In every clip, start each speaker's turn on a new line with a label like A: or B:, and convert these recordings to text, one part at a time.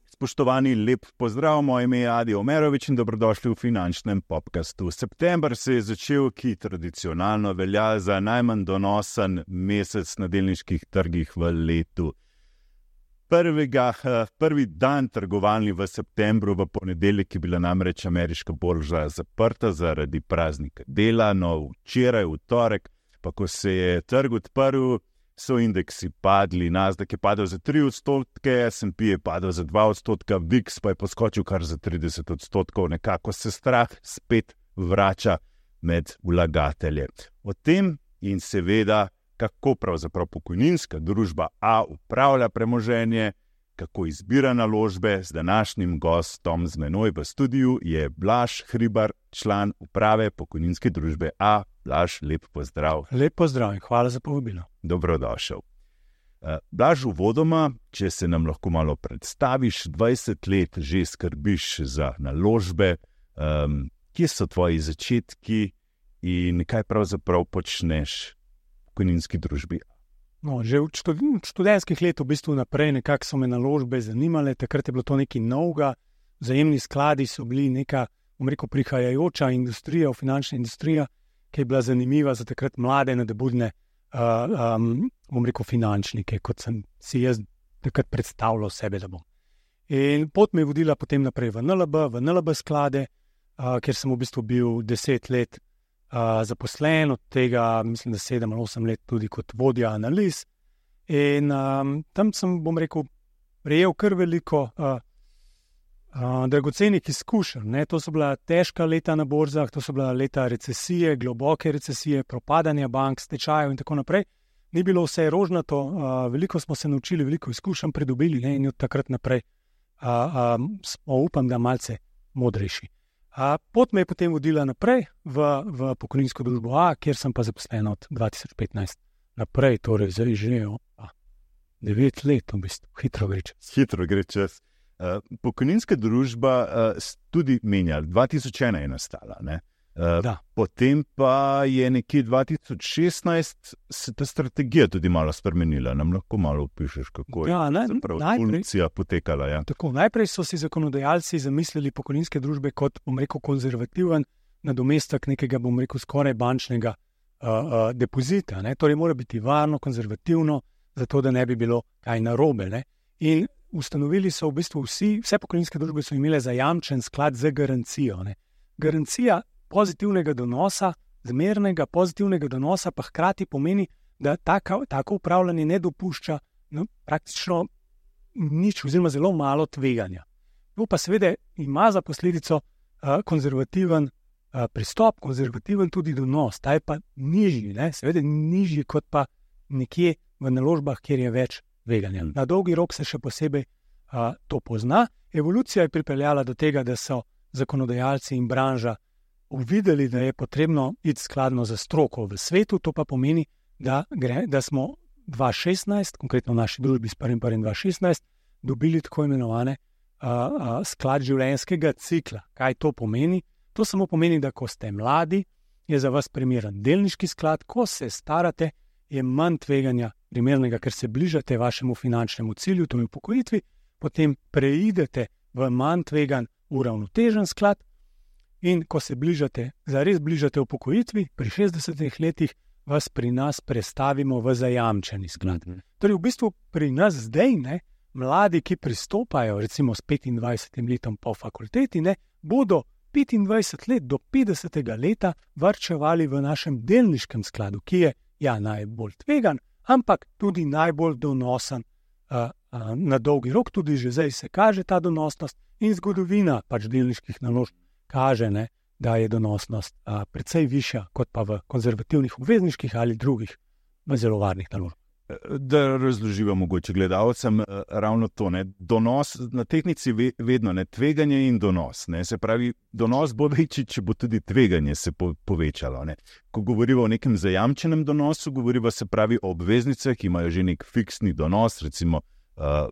A: Spoštovani, lep pozdrav, moje ime je Adi Omerovič in dobrodošli v finančnem podcastu. September se je začel, ki tradicionalno velja za najmanj donosen mesec na delniških trgih v letu. Prvi dan trgovalni v septembru, v ponedeljek, je bila namreč ameriška borza zaprta zaradi praznika dela, no včeraj, v torek, pa ko se je trg odprl, so indeksi padli. Nasdaq je padel za 3%, S&P je padel za 2%, VIX pa je poskočil kar za 30%. Nekako se strah spet vrača med vlagatelje. O tem in seveda, kako pravzaprav pokojninska družba A upravlja premoženje, kako izbira naložbe, z današnjim gostom z menoj v studiu je Blaž Hribar, član uprave pokojninske družbe A. Blaž, lep pozdrav.
B: Lep pozdrav in hvala za povabilo.
A: Dobrodošel. Blaž, uvodoma, če se nam lahko malo predstaviš, 20 let že skrbiš za naložbe, kje so tvoji začetki in kaj pravzaprav počneš v pokojninski družbi?
B: No, že od študentskih let v bistvu naprej nekako so me naložbe zanimale, takrat je bilo to nekaj novega, vzajemni skladi so bili neka, prihajajoča industrija, finančna industrija, ki je bila zanimiva za takrat mlade, nadebudne finančnike, kot sem si jaz takrat predstavljal sebe, da bom. In pot me je vodila potem naprej v NLB sklade, kjer sem v bistvu bil 10 let zaposlen, od tega mislim, da 7 ali 8 let tudi kot vodja analiz. In tam sem, prejel kar veliko dragocenih izkušenj. To so bila težka leta na borzah, to so bila leta recesije, globoke recesije, propadanja bank, stečajev in tako naprej. Ni bilo vse rožnato, veliko smo se naučili, veliko izkušenj pridobili, in od takrat naprej smo, upam, da malce modrejši. Pot me je potem vodila naprej v pokojninsko družbo A, kjer sem pa zaposlen od 2015 naprej, torej zdaj že 9 let, v bistvu, hitro gre čas.
A: Hitro gre čas. Pokojninska družba tudi menja, 2001 je nastala, ne? Potem pa je nekje 2016 se ta strategija tudi malo spremenila. Nam lahko malo opišeš, kako je evolucija potekala. Ja.
B: Tako, najprej so si zakonodajalci zamislili pokojninske družbe kot, konzervativen nadomestek nekega, skoraj bančnega depozita. Torej mora biti varno, konzervativno, zato da ne bi bilo kaj narobe. Ne? In ustanovili so v bistvu vse pokojninske družbe so imele zajamčen sklad z garancijo. Ne? Garancija pozitivnega donosa, zmernega pozitivnega donosa, pa hkrati pomeni, da tako upravljanje ne dopušča praktično nič oziroma zelo malo tveganja. To pa seveda ima za posledico konzervativen pristop, konzervativen tudi donos, ta je pa nižji, seveda nižji kot pa nekje v naložbah, kjer je več tveganja. Na dolgi rok se še posebej to pozna. Evolucija je pripeljala do tega, da so zakonodajalci in branža uvideli, da je potrebno iti skladno za stroko v svetu, to pa pomeni, da smo 2016, konkretno v naši družbi s 1.1.2016, dobili tako imenovane sklad življenjskega cikla. Kaj to pomeni? To samo pomeni, da ko ste mladi, je za vas primeren delniški sklad, ko se starate, je manj tveganja primernega, ker se bližate vašemu finančnemu cilju, to je upokojitvi, potem preidete v manj tvegan uravnotežen sklad, in ko se zares bližate upokojitvi, pri 60 letih vas pri nas prestavimo v zajamčeni sklad. Torej v bistvu pri nas zdaj, mladi, ki pristopajo recimo s 25 letom po fakulteti, bodo 25 let do 50. leta varčevali v našem delniškem skladu, ki je najbolj tvegan, ampak tudi najbolj donosen na dolgi rok, tudi že zdaj se kaže ta donosnost in zgodovina delniških naložb kaže, da je donosnost precej višja kot pa v konzervativnih obvezniških ali drugih zelo varnih naložb.
A: Da razloživa mogoče gledalcem ravno to, donos na tehnici vedno, tveganje in donos. Se pravi, donos bo večji, če bo tudi tveganje se povečalo. Ko govorimo o nekem zajamčenem donosu, govorimo se pravi o obveznicah, ki imajo že nek fiksni donos, recimo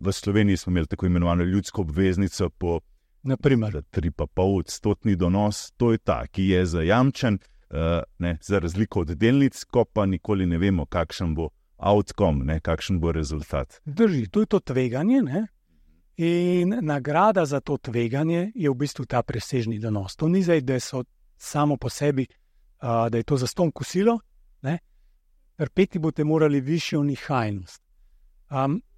A: v Sloveniji smo imeli tako imenovano ljudsko obveznico po 3,5% donos, to je ta, ki je zajamčen, za razliko od delnic, ko pa nikoli ne vemo, kakšen bo outcome, ne, kakšen bo rezultat.
B: Drži, to je to tveganje, ne? In nagrada za to tveganje je v bistvu ta presežni donos. To ni zdaj, da so samo po sebi, da je to zastonj kosilo, ne? Trpeti boste morali višjo nihajnost.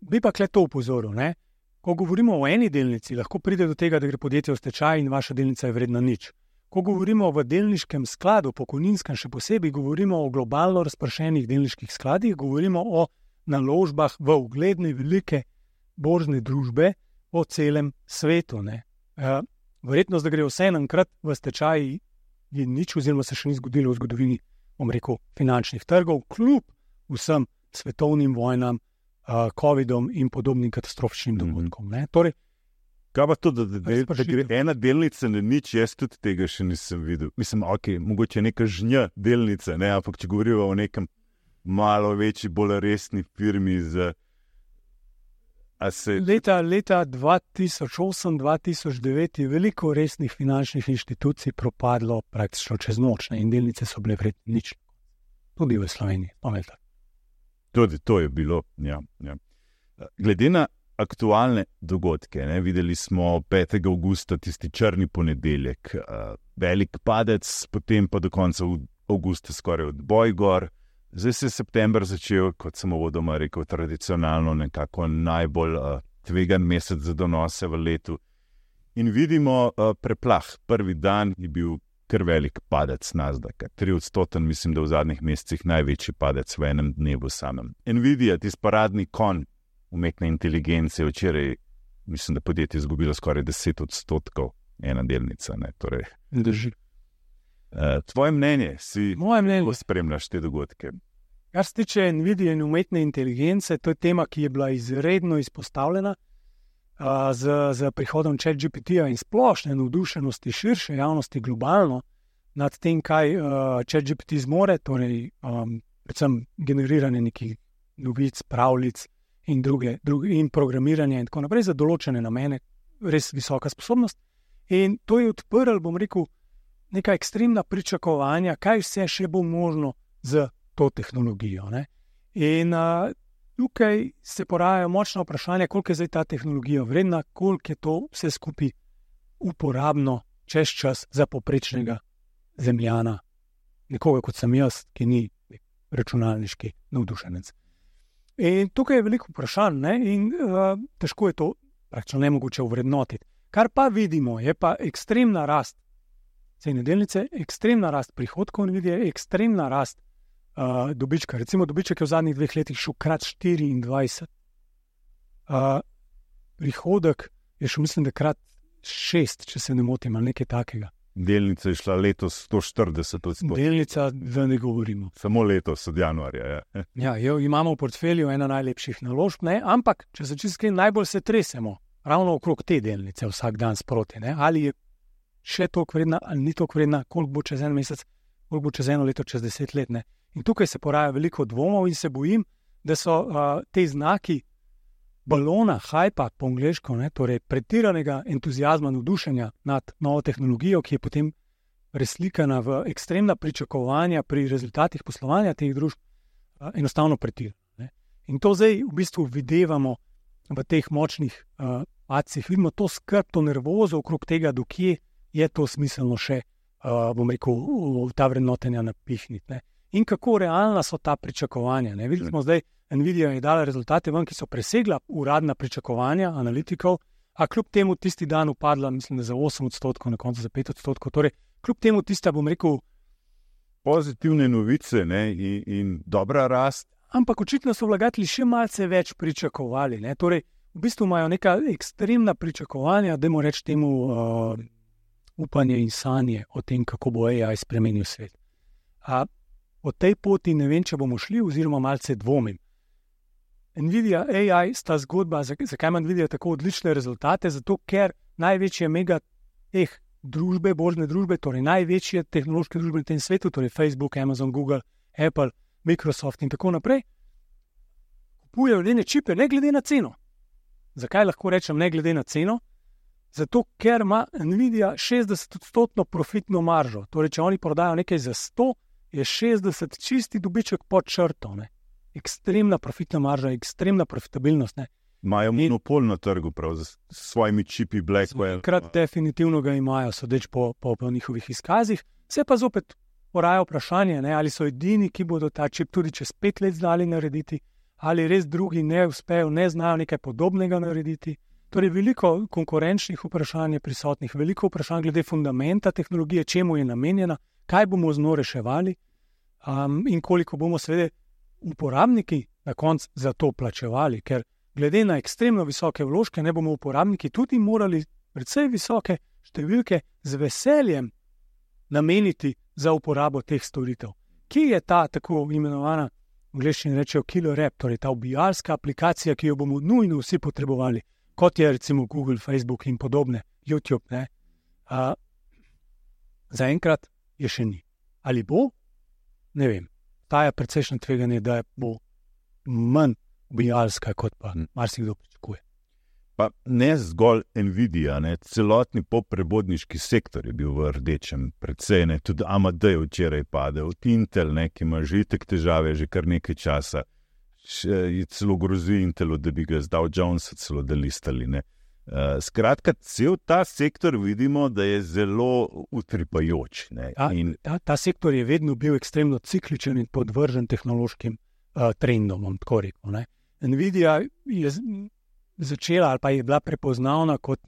B: Bi pa kle to upozoril, ne? Ko govorimo o eni delnici, lahko pride do tega, da gre podjetje v stečaj in vaša delnica je vredna nič. Ko govorimo v delniškem skladu, pokojninskem še posebej, govorimo o globalno razpršenih delniških skladih, govorimo o naložbah v ugledne velike borzne družbe po celem svetu. Verjetnost, da gre vse enkrat v stečaj, je nič, oziroma se še ni zgodilo v zgodovini, finančnih trgov, kljub vsem svetovnim vojnam, COVID-om in podobnim katastrofičnim dogodkom. Torej,
A: kaj pa to, da gre ena delnica na nič, jaz tudi tega še nisem videl. Mislim, mogoče neka žnja delnice, ne? Ampak če govorimo o nekem malo večji, bolj resni firmi
B: Leta 2008-2009 je veliko resnih finančnih inštitucij propadlo praktično čez noč, in delnice so bile vredne nič. Tudi v Sloveniji.
A: Tudi to je bilo, ja. Glede na aktualne dogodke, ne, videli smo 5. avgusta, tisti črni ponedeljek, velik padec, potem pa do konca avgusta skoraj odboj gor. Zdaj se je september začel, kot sem uvodoma rekel, tradicionalno nekako najbolj tvegan mesec za donose v letu. In vidimo preplah. Prvi dan je bil kar velik padec Nasdaka. 3%, mislim, da v zadnjih mesecih največji padec v enem dnevu samem. Nvidia, tisti paradni konj umetne inteligence, včeraj, mislim, da podjetje izgubilo skoraj 10%, ena delnica. Ne, torej.
B: Drži.
A: Tvoje mnenje, kako spremljaš te dogodke?
B: Kar se tiče Nvidie in umetne inteligence, to je tema, ki je bila izredno izpostavljena z prihodom ChatGPT-ja in splošne navdušenosti širše javnosti globalno nad tem, kaj ChatGPT zmore, torej predvsem generiranje nekih novic, pravljic in in programiranje in tako naprej za določene namene, res visoka sposobnost. In to je odprl, bom rekel, neka ekstremna pričakovanja, kaj vse še bo možno z to tehnologijo. Ne? In tukaj se porajajo močna vprašanja, koliko je zdaj ta tehnologija vredna, koliko je to vse skupaj uporabno čez čas za povprečnega zemljana, nekoga kot sem jaz, ki ni računalniški navdušenec. In tukaj je veliko vprašanj, ne? In težko je to praktično nemogoče ovrednotiti. Kar pa vidimo, je pa ekstremna rast cene delnice, ekstremna rast prihodkov Nvidie, ekstremna rast dobička. Recimo dobiček je v zadnjih 2 letih šel krat 24. Prihodek je šel, mislim, da krat 6, če se ne motim, ali nekaj takega.
A: Delnica je šla letos 140%.
B: Delnica, da ne govorimo.
A: Samo letos, od januarja.
B: Imamo v portfelju ena najlepših naložb, ne? Ampak, če se čisto najbolj se tresemo ravno okrog te delnice vsak dan sproti, ne? Ali je še toliko vredna, ali ni toliko vredna, koliko bo čez en mesec, koliko bo čez eno leto, čez 10 let. Ne? In tukaj se poraja veliko dvomov in se bojim, da so te znaki balona, hajpa po angleško, ne? Torej pretiranega entuzijazma, navdušenja nad novo tehnologijo, ki je potem preslikana v ekstremna pričakovanja pri rezultatih poslovanja teh družb, enostavno pretirana. In to zdaj v bistvu videvamo v teh močnih padcih. Vidimo to skrb, to nervozo okrog tega, dokje je to smiselno še, bom rekel, ta vrednotenja napihniti. Ne? In kako realna so ta pričakovanja. Ne? Videli smo zdaj, Nvidia je dala rezultate ven, ki so presegla uradna pričakovanja analitikov, a kljub temu tisti dan upadla, mislim, da za 8%, na koncu za 5%. Torej, kljub temu tista, bom rekel,
A: pozitivne novice, ne? In dobra rast.
B: Ampak očitno so vlagatelji še malce več pričakovali. Ne? Torej, v bistvu imajo neka ekstremna pričakovanja, dajmo reči temu upanje in sanje o tem, kako bo AI spremenil svet. Po tej poti ne vem, če bomo šli, oziroma malce dvomim. Nvidia, AI sta zgodba, zakaj ima Nvidia tako odlične rezultate? Zato, ker največje mega teh družbe, borzne družbe, torej največje tehnološke družbe na tem svetu, torej Facebook, Amazon, Google, Apple, Microsoft in tako naprej, kupujejo le čipe, ne glede na ceno. Zakaj lahko rečem ne glede na ceno? Zato, ker ima Nvidia 60% profitno maržo. Torej, če oni prodajo nekaj za 100, je 60 čisti dobiček pod črto. Ne? ekstremna profitna marža, ekstremna profitabilnost. Ne.
A: Imajo monopol na trgu, prav z svojimi čipi Blackwell.
B: Enkrat definitivno ga imajo, sodeč po njihovih izkazih. Se pa zopet poraja vprašanje, ne, ali so edini, ki bodo ta čip tudi čez 5 let znali narediti, ali res drugi ne uspejo, ne znajo nekaj podobnega narediti. Torej, veliko konkurenčnih vprašanj je prisotnih, veliko vprašanj glede fundamenta tehnologije, čemu je namenjena, kaj bomo z njo reševali in koliko bomo seveda uporabniki na koncu za to plačevali, ker glede na ekstremno visoke vložke ne bomo uporabniki tudi morali precej visoke številke z veseljem nameniti za uporabo teh storitev. Kje je ta tako imenovana, v angleščini rečejo killer app, torej ta ubijalska aplikacija, ki jo bomo nujno vsi potrebovali, kot je recimo Google, Facebook in podobne, YouTube, ne? Zaenkrat je še ni. Ali bo? Ne vem. Ta je precejšnje tveganje, da bo manj ubijalska, kot pa marsikdo pričakuje.
A: Pa ne zgolj Nvidia, ne, celotni popprebodniški sektor je bil v rdečem, precej, ne, tudi AMD je včeraj padel, Intel, ne, ki ima že itak težave že kar nekaj časa, je celo grozi Intelu, da bi ga z Dow Jonesa celo delistali, ne. Skratka, cel ta sektor vidimo, da je zelo utripajoč, ne.
B: Ta sektor je vedno bil ekstremno cikličen in podvržen tehnološkim trendom, tako rekel, ne. Nvidia je začela ali pa je bila prepoznavna kot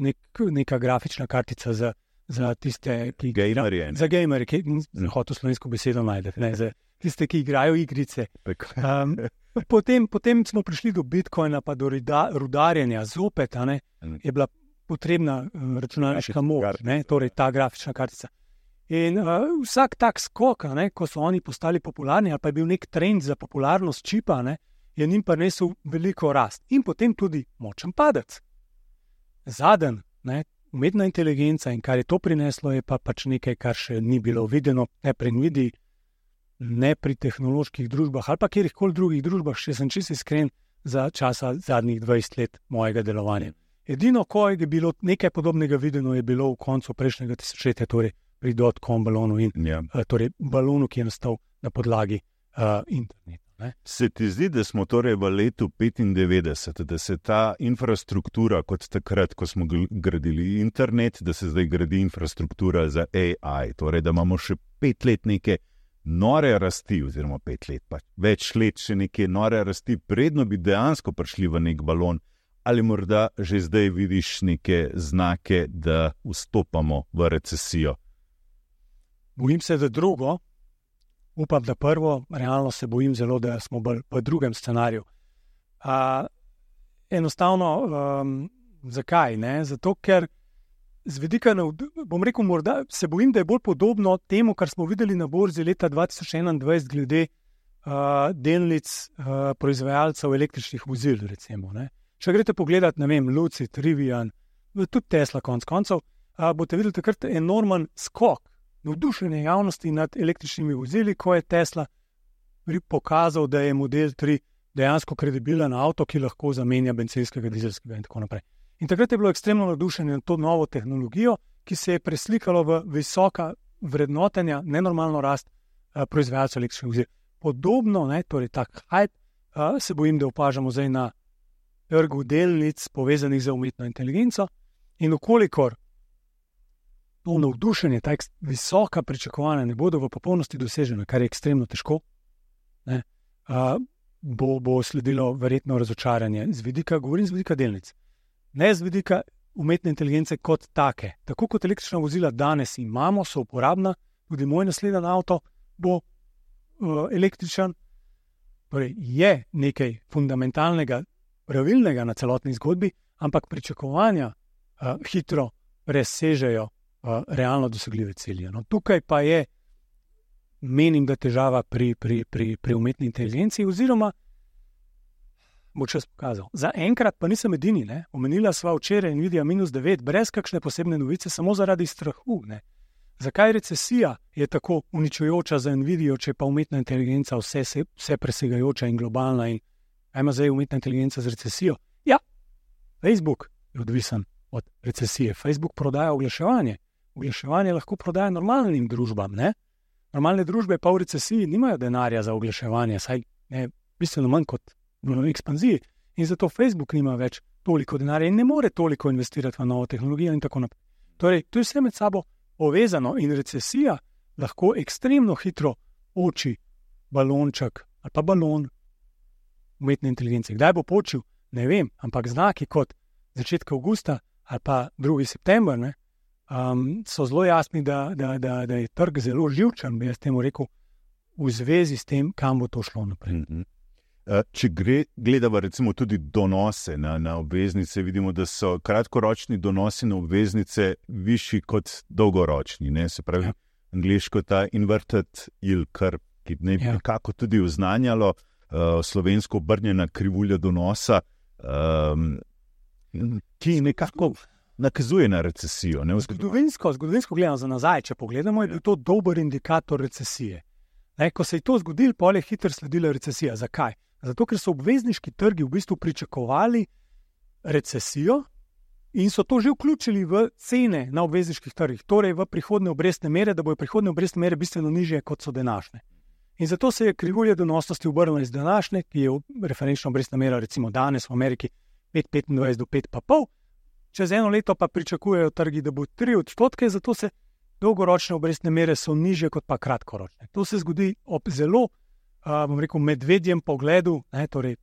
B: neka grafična kartica za tiste, ki
A: gamerje.
B: Za gamerje, ki hotel slovensko besedo najdete, ne, za tiste, ki igrajo igrice. Potem smo prišli do Bitcoina, pa do rudarjenja. Zopet je bila potrebna računalniška moč, torej ta grafična kartica. In vsak tak skok, ko so oni postali popularni, ali pa je bil nek trend za popularnost čipa, je njim prinesel veliko rast. In potem tudi močen padec. Zadnji, umetna inteligenca in kar je to prineslo, je pa pač nekaj, kar še ni bilo videno, ne pri Nvidii, ne pri tehnoloških družbah ali pa kjerkoli drugih družbah, še sem čisto iskren za časa zadnjih 20 let mojega delovanja. Edino, ko je bilo nekaj podobnega videno, je bilo v koncu prejšnjega tisočletja, torej pri dotcom balonu in torej balonu, ki je nastal na podlagi interneta. Ne?
A: Se ti zdi, da smo torej v letu 95, da se ta infrastruktura, kot takrat, ko smo gradili internet, da se zdaj gradi infrastruktura za AI, torej da imamo še 5 let neke nore rasti, oziroma 5 let, pa več let še neke nore rasti, predno bi dejansko prišli v nek balon, ali morda že zdaj vidiš neke znake, da vstopamo v recesijo?
B: Bojim se, da drugo. Upam, da prvo, realno se bojim zelo, da smo v drugem scenariju. Enostavno, zakaj? Ne? Zato, ker z vidika, bom rekel, morda se bojim, da je bolj podobno temu, kar smo videli na borzi leta 2021 glede delnic proizvajalcev električnih vozil, recimo. Ne? Če greste pogledat, ne vem, Lucid, Rivian, tudi Tesla konec koncev, boste videli takrat enormen skok, navdušenje javnosti nad električnimi vozili, ko je Tesla pokazal, da je Model 3 dejansko kredibilen avto, ki lahko zamenja bencinskega, dizelskega in tako naprej. In takrat je bilo ekstremno navdušenje na to novo tehnologijo, ki se je preslikalo v visoka vrednotenja, nenormalno rast proizvajalcev električnih vozil. Podobno, torej tak hype, se bojim, da opažamo zdaj na trgu delnic povezanih z umetno inteligenco in okolikor to navdušenje, ta visoka pričakovanja ne bodo v popolnosti dosežena, kar je ekstremno težko, bo sledilo verjetno razočaranje. Govorim z vidika delnic. Ne z vidika umetne inteligence kot take. Tako kot električna vozila danes imamo, so uporabna, tudi moj naslednji avto bo električen. Torej je nekaj fundamentalnega, pravilnega na celotni zgodbi, ampak pričakovanja hitro presežejo realno dosegljive cilje. No, tukaj pa je, menim, da težava pri umetni inteligenciji, oziroma bo čas pokazal. Za enkrat pa nisem edini, omenila sva včeraj Nvidia -9, brez kakšne posebne novice, samo zaradi strahu. Zakaj recesija je tako uničujoča za Nvidio, če pa umetna inteligenca vse presegajoča in globalna in kaj ima zdaj umetna inteligenca z recesijo? Ja, Facebook je odvisen od recesije. Facebook prodaja oglaševanje. Oglaševanje lahko prodaja normalnim družbam, ne? Normalne družbe pa v recesiji nimajo denarja za oglaševanje, saj ne bistveno manj kot v ekspanziji. In zato Facebook nima več toliko denarja in ne more toliko investirati v novo tehnologijo in tako naprej. Torej, to je vse med sabo povezano in recesija lahko ekstremno hitro oči balonček ali pa balon umetne inteligence. Kdaj bo počil, ne vem, ampak znaki kot začetek avgusta ali pa 2. september so zelo jasni, da je trg zelo živčen, bi jaz temu rekel, v zvezi s tem, kam bo to šlo naprej.
A: Če gledamo recimo tudi donose na obveznice, vidimo, da so kratkoročni donosi na obveznice višji kot dolgoročni. Ne? Se pravi, angliško ta inverted yield curve, ki ne bi nekako tudi oznanjalo slovensko obrnjena krivulja donosa, ki nekako nakazuje na recesijo. Ne?
B: Zgodovinsko gledano za nazaj, če pogledamo, je bil to dober indikator recesije. Ne? Ko se je to zgodilo, potem je hitro sledila recesija. Zakaj? Zato, ker so obvezniški trgi v bistvu pričakovali recesijo in so to že vključili v cene na obvezniških trgih, torej v prihodne obrestne mere, da bojo prihodne obrestne mere bistveno nižje, kot so današnje. In zato se je krivulja donosnosti obrnila iz današnje, ki je referenčna obrestna mera recimo danes v Ameriki 5,25 do 5,5, čez eno leto pa pričakujejo trgi, da bo 3%, zato se dolgoročne obrestne mere so nižje kot pa kratkoročne. To se zgodi ob zelo medvedjem pogledu, torej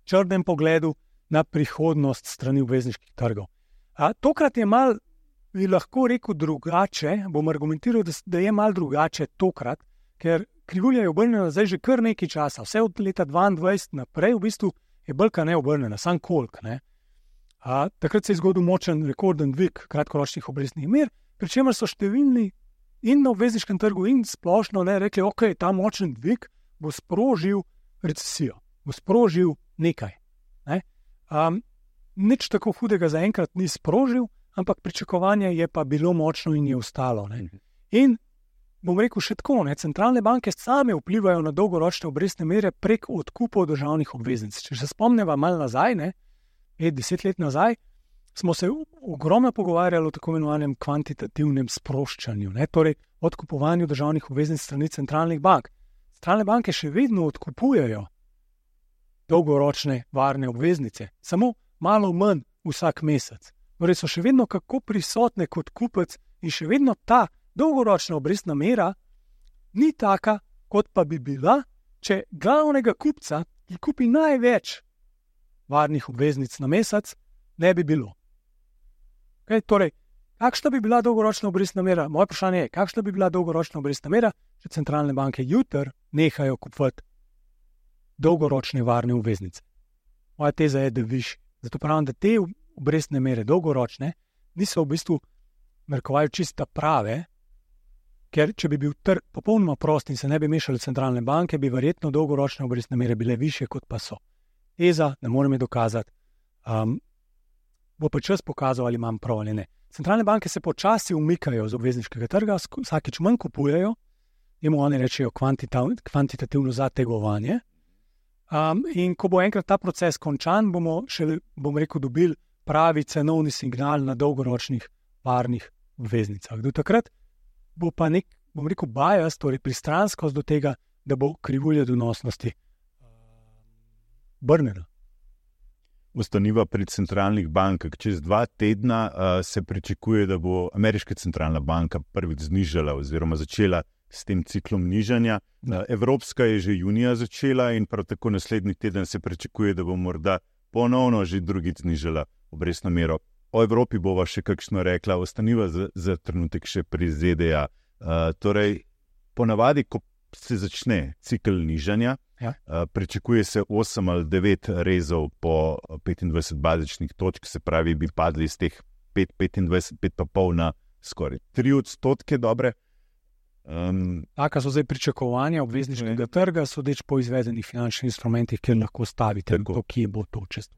B: črnem pogledu na prihodnost strani obvezniških trgov. Tokrat je malo, bi lahko rekel, drugače, bom argumentiral, da je malo drugače tokrat, ker krivulja je obrnjena zdaj že kar nekaj časa, vse od leta 2022 naprej, v bistvu je bolka neobrnjena, sam koliko. Takrat se je zgodil močen rekorden dvig kratkoročnih obrestnih mer, pri čemer so številni in na obvezniškem trgu in splošno rekli, ok, ta močen dvig bo sprožil recesijo, bo sprožil nekaj. Nič tako hudega zaenkrat ni sprožil, ampak pričakovanje je pa bilo močno in je ostalo. In bom rekel še tako, centralne banke same vplivajo na dolgoročne obrestne mere prek odkupov državnih obveznic. Če se spomnimo malo nazaj, 5-10 let nazaj, smo se ogromno pogovarjali o tako imenovanem kvantitativnem sproščanju, torej odkupovanju državnih obveznic strani centralnih bank. Centralne banke še vedno odkupujejo dolgoročne varne obveznice, samo malo manj vsak mesec. Torej so še vedno kako prisotne kot kupec in še vedno ta dolgoročna obrestna mera ni taka, kot pa bi bila, če glavnega kupca, ki kupi največ varnih obveznic na mesec, ne bi bilo. Torej, kakšna bi bila dolgoročna obrestna mera? Moje vprašanje je, kakšna bi bila dolgoročna obrestna mera, če centralne banke jutri nehajo kupovati dolgoročne varne obveznice? Moja teza je, da višji. Zato pravim, da te obrestne mere dolgoročne niso v bistvu narekovajo čista prave, ker če bi bil trg popolnoma prost in se ne bi mešali centralne banke, bi verjetno dolgoročne obrestne mere bile višje, kot pa so. Teza, ne morem je dokazati, bo pa čas pokazal, ali imam prav ali ne. Centralne banke se počasi umikajo z obvezniškega trga, vsakič manj kupujejo, jemu oni rečejo kvantitativno zategovanje. In ko bo enkrat ta proces končan, bomo šele, dobili pravi cenovni signal na dolgoročnih varnih obveznicah. Do takrat bo pa nek, bias, torej pristranskost do tega, da bo krivulja donosnosti brnena.
A: Ostaniva pri centralnih bankah. Čez 2 tedna se pričakuje, da bo ameriška centralna banka prvič znižala oziroma začela s tem ciklom nižanja. Evropska je že junija začela in prav tako naslednji teden se pričakuje, da bo morda ponovno že drugič znižala obrestno mero. O Evropi bova še kakšno rekla, ostaniva za trenutek še pri ZDA. Torej, ponavadi, ko se začne cikl nižanja, pričakuje se 8 ali 9 rezov po 25 bazičnih točk, se pravi, bi padli iz teh 5,25 na skoraj 3% dobre.
B: Taka so zdaj pričakovanja obvezniškega trga, sodeč po izvedenih finančnih instrumentih, kjer lahko stavite to, kje bo to čez.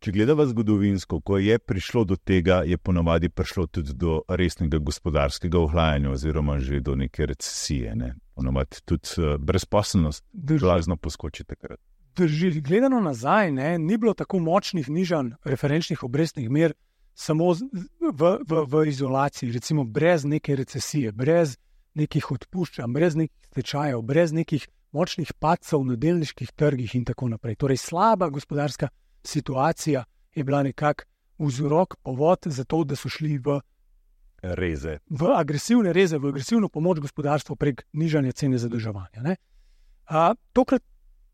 A: Če gledava zgodovinsko, ko je prišlo do tega, je ponavadi prišlo tudi do resnega gospodarskega ohlajanja oziroma že do neke recesije. Ponavadi tudi brezposelnost blazno poskoči takrat.
B: Drži. Gledano nazaj, ni bilo tako močnih nižanj referenčnih obrestnih mer samo v izolaciji, recimo brez neke recesije, brez nekih odpuščanj, brez nekih stečajev, brez nekih močnih padcev na delniških trgih in tako naprej. Torej, slaba gospodarska situacija je bila nekako vzrok, povod za to, da so šli v agresivne reze, v agresivno pomoč gospodarstvu prek nižanja cene zadolževanja. Tokrat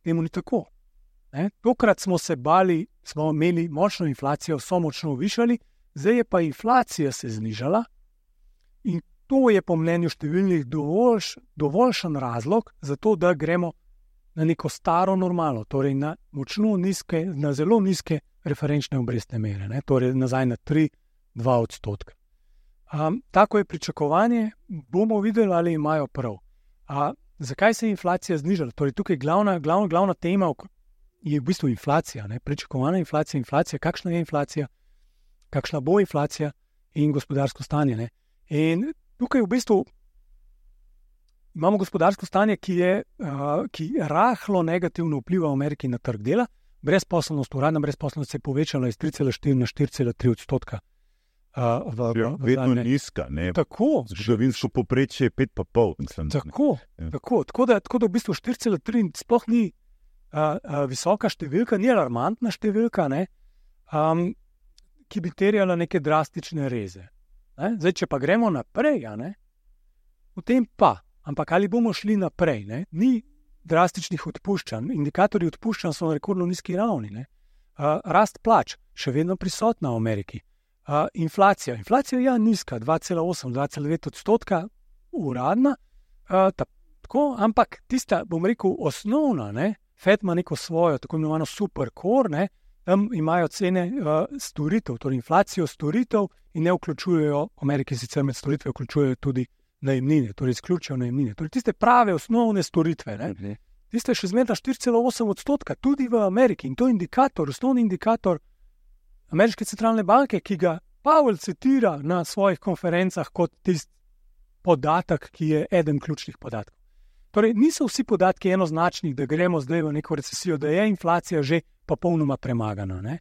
B: temu ni tako. Tokrat smo se bali, smo imeli močno inflacijo, so močno višali, zdaj je pa inflacija se znižala in to je po mnenju številnih dovoljšen razlog za to, da gremo na neko staro normalo, torej na močno nizke, na zelo nizke referenčne obrestne mere, torej nazaj na 3-2%. Tako je pričakovanje, bomo videli, ali imajo prav. Zakaj se je inflacija znižala? Torej, tukaj glavna tema je v bistvu inflacija, pričakovana inflacija, kakšna je inflacija, kakšna bo inflacija in gospodarsko stanje. In tukaj v bistvu imamo gospodarsko stanje, ki rahlo negativno vpliva v Ameriki na trg dela. Brezposelnost, uradna brezposelnost se je povečala iz 3,4 na 4,3%.
A: Vedno nizka, ne?
B: Tako.
A: Zgodovinsko povprečje je 5,5.
B: Tako da v bistvu 4,3 sploh ni visoka številka, ni alarmantna številka, ki bi terjala neke drastične reze. Zdaj, če pa gremo naprej, potem pa, ampak ali bomo šli naprej, ni drastičnih odpuščanj, indikatorji odpuščanj so na rekordno nizki ravni, rast plač, še vedno prisotna v Ameriki, inflacija je nizka, 2,8, 2,9% uradna, tako, ampak tista, bom rekel, osnovna, Fed ima neko svojo, tako imenovano supercore, tam imajo cene storitev, torej inflacijo storitev in ne vključujejo, v Ameriki sicer med storitve vključujejo tudi najemnine, torej izključijo najemnine. Torej tiste prave osnovne storitve, tiste še zmeraj 4,8%, tudi v Ameriki. In to je indikator, osnovni indikator Ameriške centralne banke, ki ga Powell citira na svojih konferencah kot tisti podatek, ki je eden ključnih podatkov. Torej, niso vsi podatki enoznačni, da gremo zdaj v neko recesijo, da je inflacija že popolnoma premagana.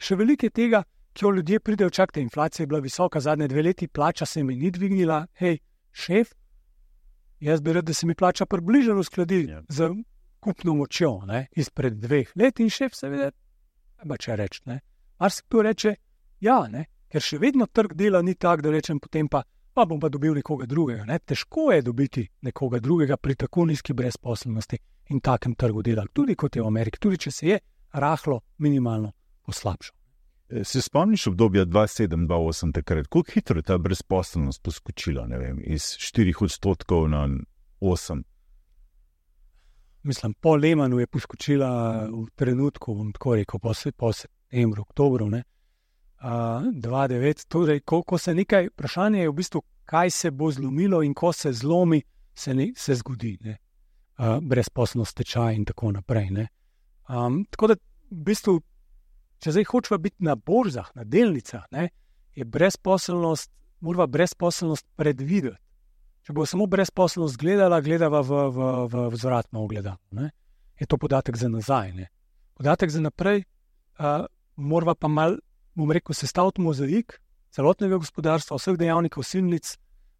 B: Še veliko je tega, ki jo ljudje pridejo, čakajte, inflacija je bila visoka, zadnje 2 leti, plača se mi ni dvignila, hej, šef, jaz bi rad, da se mi plača približno uskladi z kupno močjo, izpred 2 let in šef seveda, če reči, marsikdo reče, ker še vedno trg dela ni tak, da rečem potem pa bom pa dobil nekoga drugega. Težko je dobiti nekoga drugega pri tako nizki brezposelnosti in takem trgu dela, tudi kot je v Ameriki, tudi če se je rahlo minimalno poslabšal.
A: Se spomniš obdobja 2007-2008 takrat, koliko hitro je ta brezposelnost poskočila, iz 4% na 8%?
B: Mislim, po Lehmanu je poskočila v trenutku, bom tako rekel, po septembru, oktobru, 2009, torej, ko se nekaj, vprašanje je v bistvu, kaj se bo zlomilo in ko se zlomi, se zgodi, brezposelnost, tečaj in tako naprej, tako da, v bistvu, če zdaj hočeva biti na borzah, na delnicah, je morava brezposelnost predvideti. Če bo samo brezposelnost gledava v vzvratno ogledalo, je to podatek za nazaj, Podatek za naprej, morava pa malo, bom rekel, sestaviti mozaik celotnega gospodarstva, vseh dejavnikov, silnic,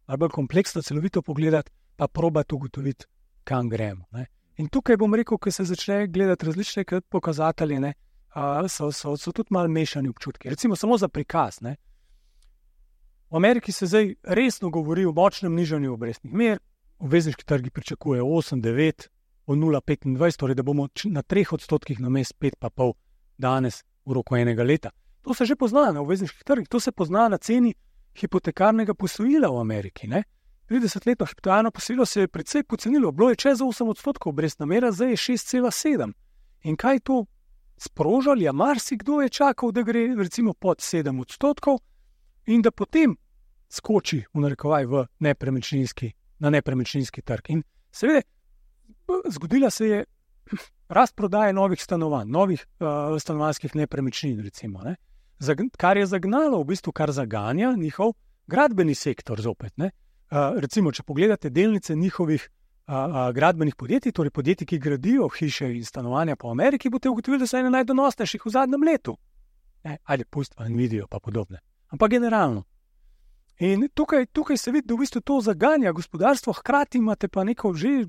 B: ali bolj kompleksno, celovito pogledati, pa probati ugotoviti, kam gremo. In tukaj bom rekel, ko se začne gledati različne pokazatelje, so tudi malo mešani občutki. Recimo samo za prikaz. V Ameriki se zdaj resno govori o močnem nižanju obrestnih mer, obvezniški trgi pričakujejo 8,9, o 0,25, torej da bomo na 3% namesto 5,5 danes v roku enega leta. To se že pozna na obvezniških trgih, to se pozna na ceni hipotekarnega posojila v Ameriki. 30-letno hipotekarno posojilo se je precej pocenilo, bilo je čez 8% obrestna mera, zdaj je 6,7. In kaj to sprožali? Marsikdo je čakal, da gre recimo pod 7% in da potem skoči v narekovaj na nepremičninski trg. In seveda, zgodila se je rast prodaje novih stanovanj, novih stanovanjskih nepremičnin, recimo, kar je zagnalo, v bistvu kar zaganja njihov gradbeni sektor zopet. Recimo, če pogledate delnice njihovih gradbenih podjetij, torej podjetij, ki gradijo hiše in stanovanja po Ameriki, boste ugotovili, da so ene najdonosnejših v zadnjem letu. Ajde, pustimo Nvidijo pa podobne. Ampak generalno. In tukaj se vidi, da v bistvu to zaganja gospodarstvo, hkrati imate pa neko že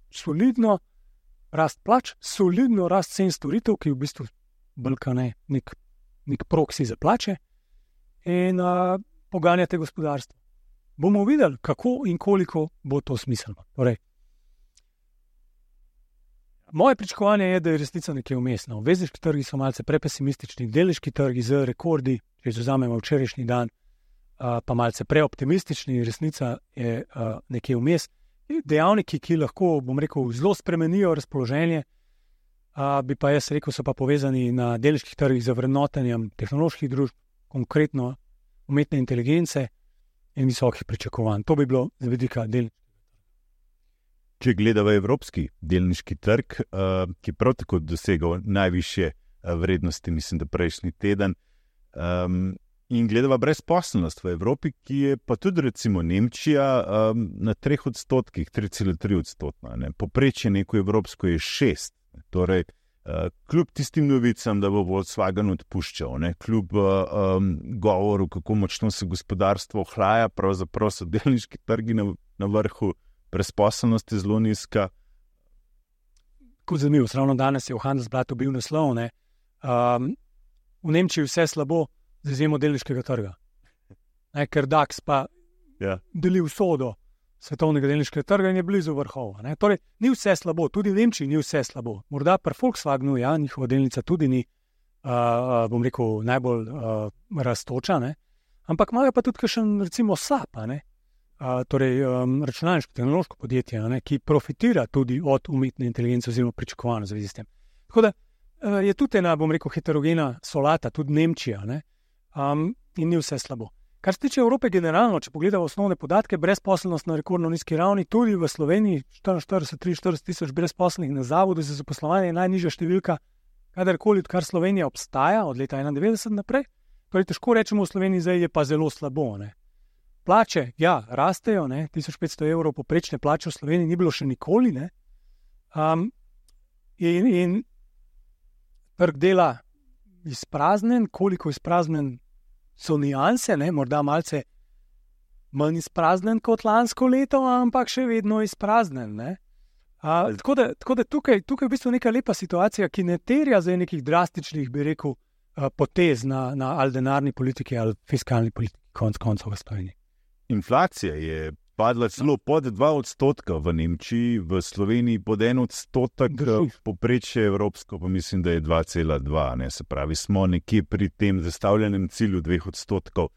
B: solidno rast plač, solidno rast cen storitev, ki je v bistvu balkane nek proksi za plače in poganjate gospodarstvo. Bomo videli, kako in koliko bo to smiselno. Torej, moje pričakovanje je, da je resnica nekje vmes. Obvezniški trgi so malce prepesimistični, delniški trgi z rekordi, če vzamemo včerajšnji dan, pa malce preoptimistični, resnica je nekje vmes. Dejavniki, ki lahko, bom rekel, zelo spremenijo razpoloženje, bi pa jaz rekel, so pa povezani na delniških trgih z vrednotenjem tehnoloških družb, konkretno umetne inteligence in visokih pričakovanj. To bi bilo z vidika delniških.
A: Če gledamo evropski delniški trg, ki prav tako dosegal najvišje vrednosti, mislim, da prejšnji teden, in gledamo brezposelnost v Evropi, ki je pa tudi recimo Nemčija na 3%, 3,3%. Poprečje neko evropsko je 6%. Torej, kljub tistim novicam, da bo Volkswagen odpuščal, kljub govoru, kako močno se gospodarstvo ohlaja, pravzaprav so delniški trgi na vrhu, brezposelnost je zelo nizka.
B: Kot zanimivo, ravno danes je v Handelsblatu bil naslov, v Nemčiji vse slabo z izjemo delniškega trga. Ker DAX pa deli usodo svetovnega delniškega trga in je blizu vrhova. Torej, ni vse slabo, tudi v Nemčiji ni vse slabo. Morda pri Volkswagenu, njihova delnica tudi ni, bom rekel, najbolj rastoča, ampak imajo pa tudi kakšen, recimo, SAP, torej računalniško tehnološko podjetje, ki profitira tudi od umetne inteligence oziroma pričakovano v zvezi s tem. Tako da je tudi ena, bom rekel, heterogena solata, tudi Nemčija, in ni vse slabo. Kar se tiče Evrope generalno, če pogledamo osnovne podatke, brezposelnost na rekordno nizki ravni, tudi v Sloveniji 43 tisoč brezposelnih na zavodu za zaposlovanje je najnižja številka, kadarkoli, odkar Slovenija obstaja, od leta 1991 naprej. Torej, težko rečemo v Sloveniji, zdaj je pa zelo slabo. Plače, rastejo, 1500 evrov poprečne plače v Sloveniji ni bilo še nikoli. In trg dela izpraznen, koliko izpraznen so nianse, morda malce manj izpraznen kot lansko leto, ampak še vedno izpraznen. Tako da tukaj je v bistvu neka lepa situacija, ki ne terja zdaj nekih drastičnih, bi rekel, potez na ali denarni politiki ali fiskalni politiki, konec koncev v Sloveniji.
A: Inflacija je padla celo pod 2% v Nemčiji, v Sloveniji pod 1%, poprečje evropsko pa mislim, da je 2,2%. Se pravi, smo nekje pri tem zastavljenem cilju 2%.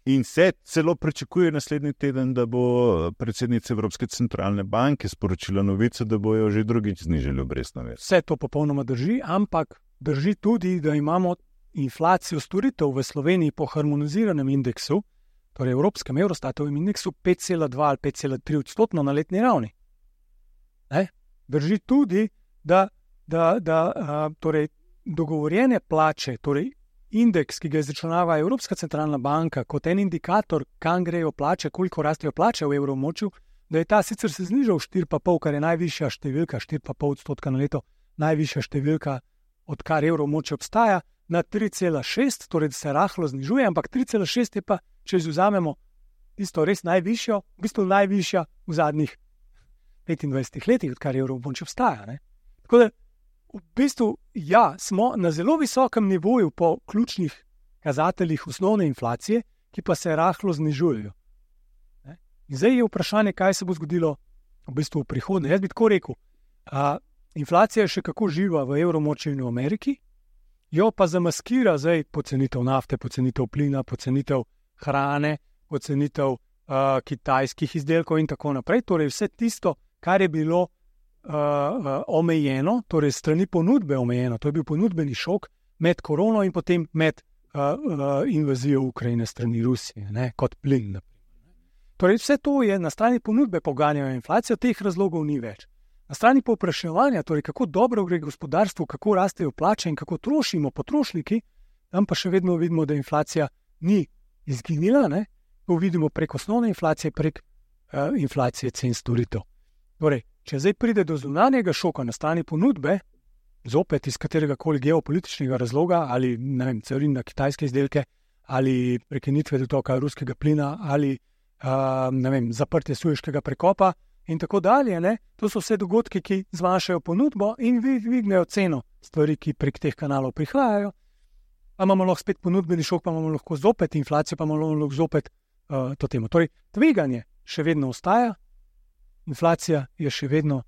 A: In se celo pričakuje naslednji teden, da bo predsednica Evropske centralne banke sporočila novico, da bojo že drugič znižali obrestno mer.
B: Vse to popolnoma drži, ampak drži tudi, da imamo inflacijo storitev v Sloveniji po harmoniziranem indeksu, torej evropskem Eurostatovem indeksu 5,2 ali 5,3% na letni ravni. Drži tudi, da torej dogovorjene plače, torej indeks, ki ga izračunava Evropska centralna banka kot en indikator, kam grejo plače, koliko rastejo plače v evroobmočju, da je ta sicer se znižal 4,5, kar je najvišja številka, 4,5% na leto, najvišja številka, odkar evroobmočje obstaja, na 3,6, torej da se rahlo znižuje, ampak 3,6 je pa, če izvzamemo tisto res najvišjo, v bistvu najvišja v zadnjih 25 letih, odkar evroobmočje obstaja. Tako da v bistvu, smo na zelo visokem nivoju po ključnih kazateljih osnovne inflacije, ki pa se rahlo znižujejo. In zdaj je vprašanje, kaj se bo zgodilo v bistvu v prihodnje. Jaz bi tako rekel, inflacija je še kako živa v evroobmočju in v Ameriki, jo pa zamaskira zdaj pocenitev nafte, pocenitev plina, pocenitev hrane, pocenitev kitajskih izdelkov in tako naprej. Torej vse tisto, kar je bilo omejeno, torej strani ponudbe omejeno, to je bil ponudbeni šok med korono in potem med invazijo Ukrajine strani Rusije, kot plin. Torej vse to je na strani ponudbe poganjajo inflacijo, teh razlogov ni več. Na strani povpraševanja, torej kako dobro gre gospodarstvu, kako rastejo plače in kako trošimo potrošniki, tam pa še vedno vidimo, da inflacija ni izginila, to vidimo prek osnovne inflacije, prek inflacije cen storitev. Torej, če zdaj pride do zunanjega šoka na strani ponudbe, zopet iz katerega koli geopolitičnega razloga, ali carin na kitajske izdelke, ali prekinitve dotoka ruskega plina, ali zaprtje Sueškega prekopa, in tako dalje. Ne? To so vse dogodki, ki zmanjšajo ponudbo in dvignejo ceno stvari, ki prek teh kanalov prihajajo. Pa imamo lahko spet ponudbeni šok, pa imamo lahko zopet inflacijo, pa imamo lahko zopet to temo. Torej, tveganje še vedno ostaja, inflacija je še vedno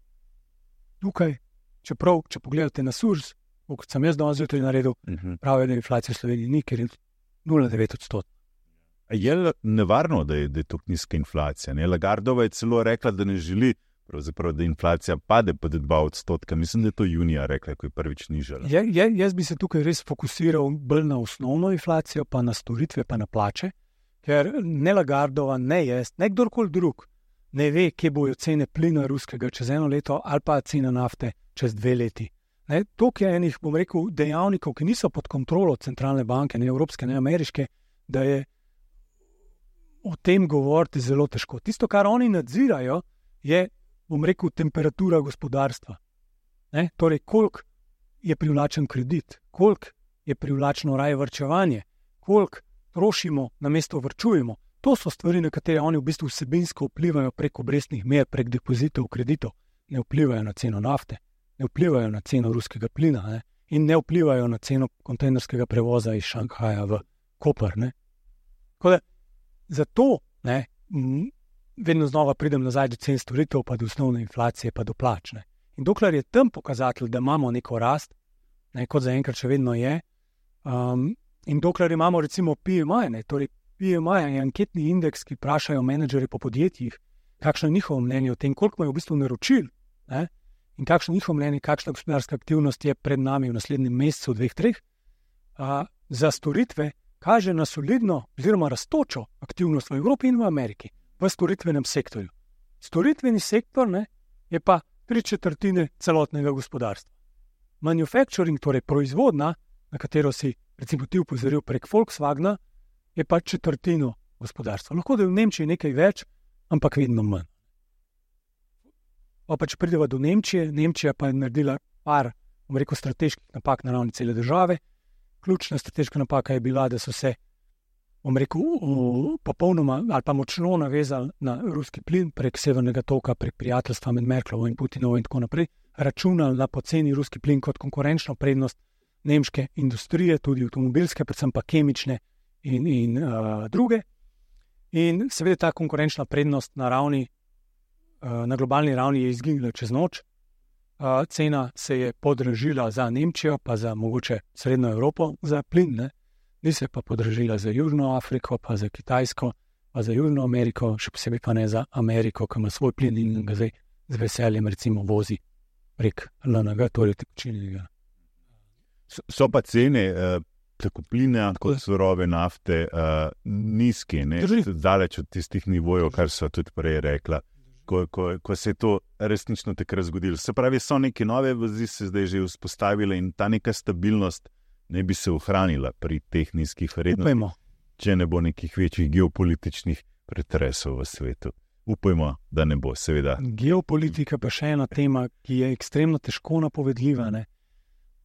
B: tukaj, čeprav, če pogledate na SURS, kot sem jaz danes zjutraj naredil, pravijo, da inflacija v Sloveniji ni, ker je 0,9%.
A: Je nevarno, da je tako nizka inflacija? Ne? Lagardova je celo rekla, da ne želi, da inflacija pade pod 2%. Mislim, da je to junija rekla, ko je prvič nižala.
B: Jaz bi se tukaj res fokusiral bolj na osnovno inflacijo, pa na storitve, pa na plače, ker ne Lagardova, ne jaz, ne kdorkoli drug ne ve, kje bojo cene plina ruskega čez 1 leto ali pa cena nafte čez 2 leti. Toliko je enih, bom rekel, dejavnikov, ki niso pod kontrolo centralne banke, ne evropske, ne ameriške, da je o tem govoriti zelo težko. Tisto, kar oni nadzirajo, je, bom rekel, temperatura gospodarstva. Torej, koliko je privlačen kredit, koliko je privlačno raje varčevanje, koliko trošimo, namesto varčujemo. To so stvari, na katere oni v bistvu vsebinsko vplivajo prek obrestnih mer, prek depozitov, kreditov. Ne vplivajo na ceno nafte, ne vplivajo na ceno ruskega plina in ne vplivajo na ceno kontejnerskega prevoza iz Šanghaja v Koper. Zato vedno znova pridem nazaj do cen storitev, pa do osnovne inflacije, pa do plač. In dokler je tam pokazatelj, da imamo neko rast, kot zaenkrat še vedno je, in dokler imamo recimo PMI, torej PMI je anketni indeks, ki vprašajo menedžerje po podjetjih, kakšno je njihovo mnenje o tem, koliko imajo v bistvu naročil, in kakšno je njihovo mnenje, kakšna gospodarska aktivnost je pred nami v naslednjem mesecu, 2-3, za storitve kaže na solidno oziroma rastočo aktivnost v Evropi in v Ameriki, v storitvenem sektorju. Storitveni sektor je pa 3/4 celotnega gospodarstva. Manufacturing, torej proizvodna, na katero si recimo ti upozoril prek Volkswagna, je pa 1/4 gospodarstva. Lahko da je v Nemčiji nekaj več, ampak vedno manj. Pa če prideva do Nemčije, Nemčija pa je naredila par, bom rekel, strateških napak na ravni cele države. Ključna strateška napaka je bila, da so se, bom rekel, popolnoma ali pa močno navezali na ruski plin prek Severnega toka, prek prijateljstva med Merklovo in Putinovo in tako naprej, računali na poceni ruski plin kot konkurenčno prednost nemške industrije, tudi avtomobilske, predvsem pa kemične in druge. In seveda ta konkurenčna prednost na globalni ravni je izginila čez noč. Cena se je podražila za Nemčijo, pa za mogoče Srednjo Evropo za plin, ni se pa podražila za Južno Afriko, pa za Kitajsko, pa za Južno Ameriko, še posebej pa ne za Ameriko, ki ima svoj plin in ga zdaj z veseljem recimo vozi prek LNG, torej tekočinjenega.
A: So pa cene tako plina kot surove nafte nizke, daleč od tistih nivojev, kar so tudi prej rekla. Ko se je to resnično takrat zgodilo. Se pravi, so neke nove vezi se zdaj že vzpostavile in ta neka stabilnost ne bi se ohranila pri teh nizkih vrednostih, če ne bo nekih večjih geopolitičnih pretresov v svetu. Upajmo, da ne bo, seveda.
B: Geopolitika pa še ena tema, ki je ekstremno težko napovedljiva.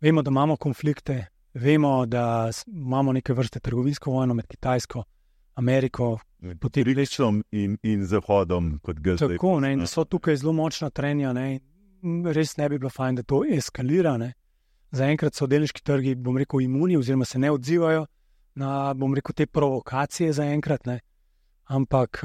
B: Vemo, da imamo konflikte, vemo, da imamo neke vrste trgovinsko vojno med Kitajsko, Ameriko,
A: Rečom in Zahodom, kot ga zdaj.
B: Tako, in so tukaj zelo močna trenja, res ne bi bilo fajn, da to eskalira. Zaenkrat so delniški trgi, bom rekel, imuni oziroma se ne odzivajo na, bom rekel, te provokacije zaenkrat, ampak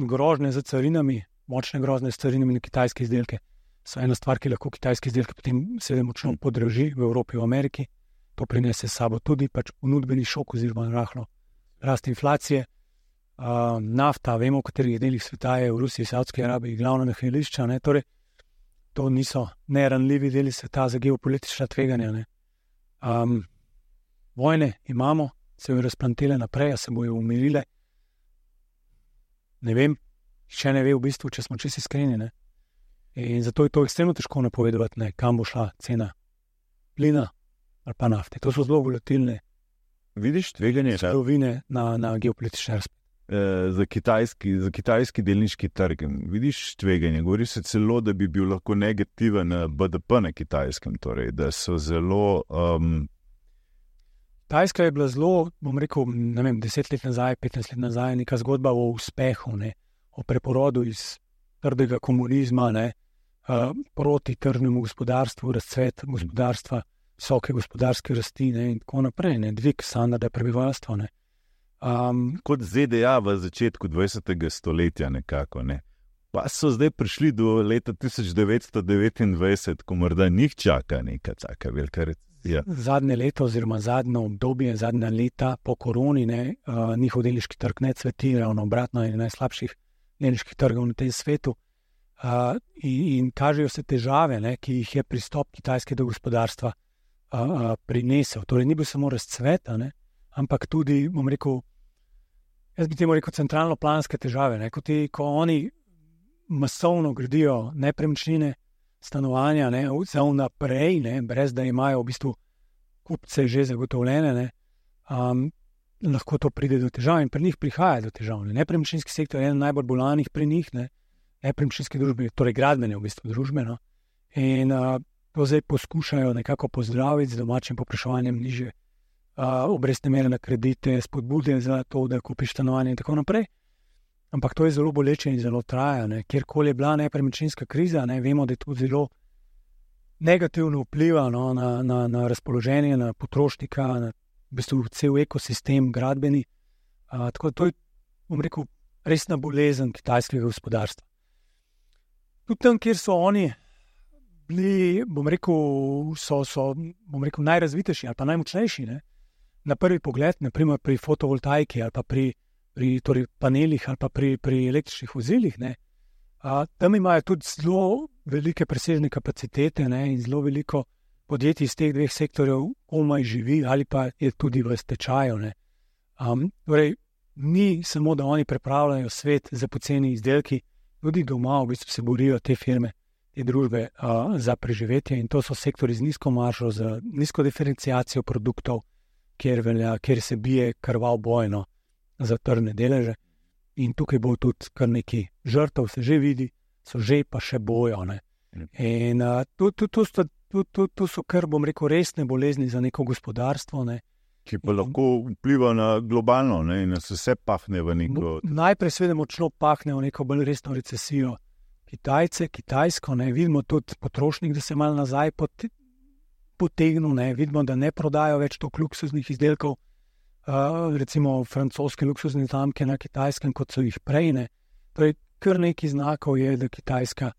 B: grožnje za carinami, močne grožnje za carinami na kitajske izdelke so ena stvar, ki lahko kitajske izdelke potem seveda močno podraži v Evropi, v Ameriki. To prinese s sabo tudi ponudbeni šok oziroma rahlo rast inflacije. Nafta, vemo, v katerih delih sveta je v Rusiji, Saudski Arabiji glavna nahajališča, torej to niso neranljivi deli sveta za geopolitična tveganja. Vojne imamo, se bojo razplantele naprej, a se bojo umirile. Ne vem, še ne ve v bistvu, če smo čisto iskreni. In zato je to ekstremno težko napovedovati, kam bo šla cena plina ali pa nafte. To so zelo volatilne surovine na geopolitične razplet.
A: Za kitajski delniški trg. Vidiš tveganje? Govori se celo, da bi bil lahko negativen BDP na Kitajskem, torej, da so zelo...
B: Kitajska je bila zelo, bom rekel, 10 let nazaj, 15 let nazaj, neka zgodba o uspehu, o preporodu iz trdega komunizma, proti tržnemu gospodarstvu, razcvet gospodarstva, visoke gospodarske rasti, in tako naprej, dvig standarda prebivalstva.
A: Kot ZDA v začetku 20. stoletja nekako, Pa so zdaj prišli do leta 1929, ko morda njih čaka neka taka velika recesija.
B: Zadnje leto oziroma zadnje obdobje, zadnja leta po koroni, njihov delniški trg ne cveti, ravno obratno, je najslabših delniških trgov na tem svetu. In kažejo se težave, ki jih je pristop Kitajske do gospodarstva prinesel. Torej, ni bil samo razcvet, ampak tudi, jaz bi temu rekel, centralno-planske težave. Ko oni masovno gradijo nepremičnine, stanovanja, za vnaprej, brez da imajo v bistvu kupce že zagotovljene, lahko to pride do težav in pri njih prihaja do težav. Nepremičninski sektor je eden najbolj bolanih pri njih, nepremičninske družbe, torej gradbene v bistvu družbe. In to zdaj poskušajo nekako pozdraviti z domačim povpraševanjem nižje obrestne mere na kredite, spodbude za to, da kupiš stanovanje in tako naprej. Ampak to je zelo boleče in zelo traja. Kjerkoli je bila nepremičninska kriza, vemo, da je to zelo negativno vpliva na razpoloženje, na potrošnika, na v bistvu cel ekosistem gradbeni. Tako da to je, resna bolezen kitajskega gospodarstva. Tudi tam, kjer so oni bili, so najrazvitejši ali pa najmočnejši, na prvi pogled, naprimer pri fotovoltaiki ali pa pri torej panelih ali pa pri električnih vozilih, tam imajo tudi zelo velike presežne kapacitete in zelo veliko podjetij iz teh dveh sektorjev komaj živi ali pa je tudi v stečaju. Torej, ni samo, da oni prepravljajo svet za poceni izdelki, tudi doma v bistvu se borijo te firme, te družbe za preživetje in to so sektori z nizko maržo, z nizko diferenciacijo produktov, kjer se bije krvav bojno za tržne deleže. In tukaj bo tudi kar nekaj žrtev, se že vidi, so že pa še bojo. In to so kar, resne bolezni za neko gospodarstvo.
A: Ki pa lahko vpliva na globalno in nas vse pahne v neko...
B: Najprej seveda močno pahne v neko bolj resno recesijo. Kitajsko, vidimo tudi potrošnik, da se malo nazaj potegnil, vidimo, da ne prodajo več toliko luksuznih izdelkov, recimo francoske luksuzne znamke na Kitajskem, kot so jih prej. Torej, kar nekaj znakov je, da Kitajska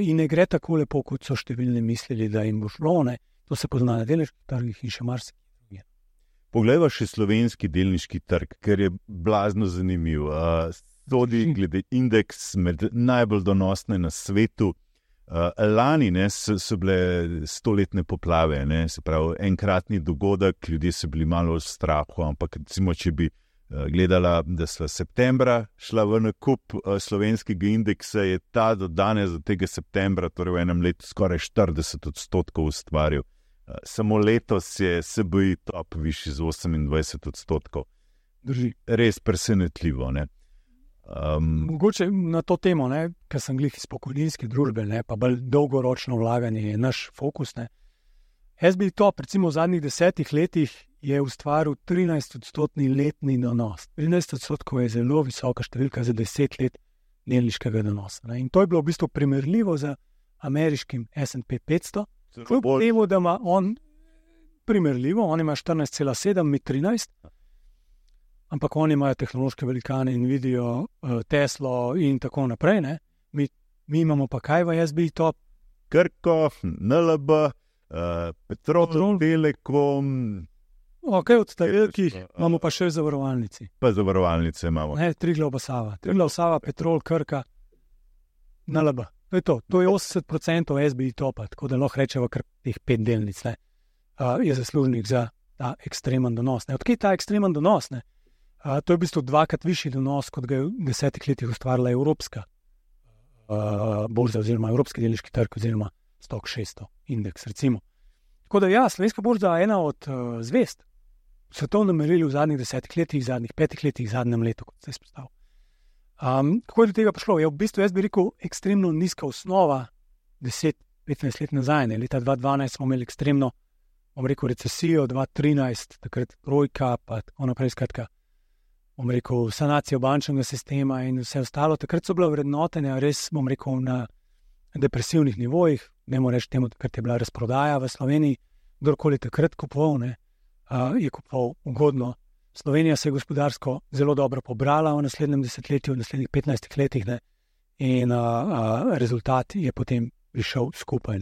B: in ne gre tako lepo, kot so številni mislili, da jim bo šlo. To se pozna na delniških trgih in še marsikaj.
A: Poglejva še slovenski delniški trg, ker je blazno zanimiv. Sodi glede indeks med najbolj donosne na svetu. Lani so bile 100-letne poplave, se pravi enkratni dogodek, ljudje so bili malo v strahu, ampak recimo, če bi gledala, da sva septembra šla v nakup slovenskega indeksa, je ta do danes, do tega septembra, torej v enem letu skoraj 40% ustvaril. Samo letos je SBI top višji z 28%.
B: Drži.
A: Res presenetljivo,
B: Mogoče na to temo, ker sem glih iz pokojninske družbe, pa bolj dolgoročno vlaganje je naš fokus. SBI top, recimo v zadnjih 10 letih, je ustvaril 13% letni donos. 13% je zelo visoka številka za 10 let delniškega donosa. In to je bilo v bistvu primerljivo z ameriškim S&P 500. Kljub temu, da ima on primerljivo, on ima 14,7, mi 13, ampak oni imajo tehnološke velikane Nvidio, Teslo in tako naprej. Mi imamo pa kaj v SBI top?
A: Krko, NLB, Petrol, Telekom.
B: Ok, od velikih imamo pa še v zavarovalnici.
A: Pa zavarovalnice imamo.
B: Triglav Sava. Triglav Sava, Petrol, Krka, NLB. To je 80% SBI topa, tako da lahko rečemo kar teh 5 delnic je zaslužnih za ta ekstremen donos. Odkje ta ekstremen donos? To je v bistvu 2-krat višji donos, kot ga je v 10 letih ustvarila evropska borza oziroma evropski delniški trg oziroma Stock 600 indeks, recimo. Tako da slovenska borza je ena od zvezd v svetovnem merilu v zadnjih 10 letih, zadnjih 5 letih, zadnjem letu, kot se je izpostavil. Kako je do tega prišlo? Je v bistvu, jaz bi rekel, ekstremno nizka osnova 10-15 let nazaj. Leta 2012 smo imeli ekstremno, recesijo, 2013, takrat trojka, pa tako naprej, skratka. sanacijo bančnega sistema in vse ostalo. Takrat so bila vrednotenja res, na depresivnih nivojih, nemo reči temu, takrat je bila razprodaja v Sloveniji, kdorkoli takrat kupoval, je kupoval ugodno. Slovenija se je gospodarsko zelo dobro pobrala v naslednjem desetletju, v naslednjih 15 letih, in rezultat je potem prišel skupaj.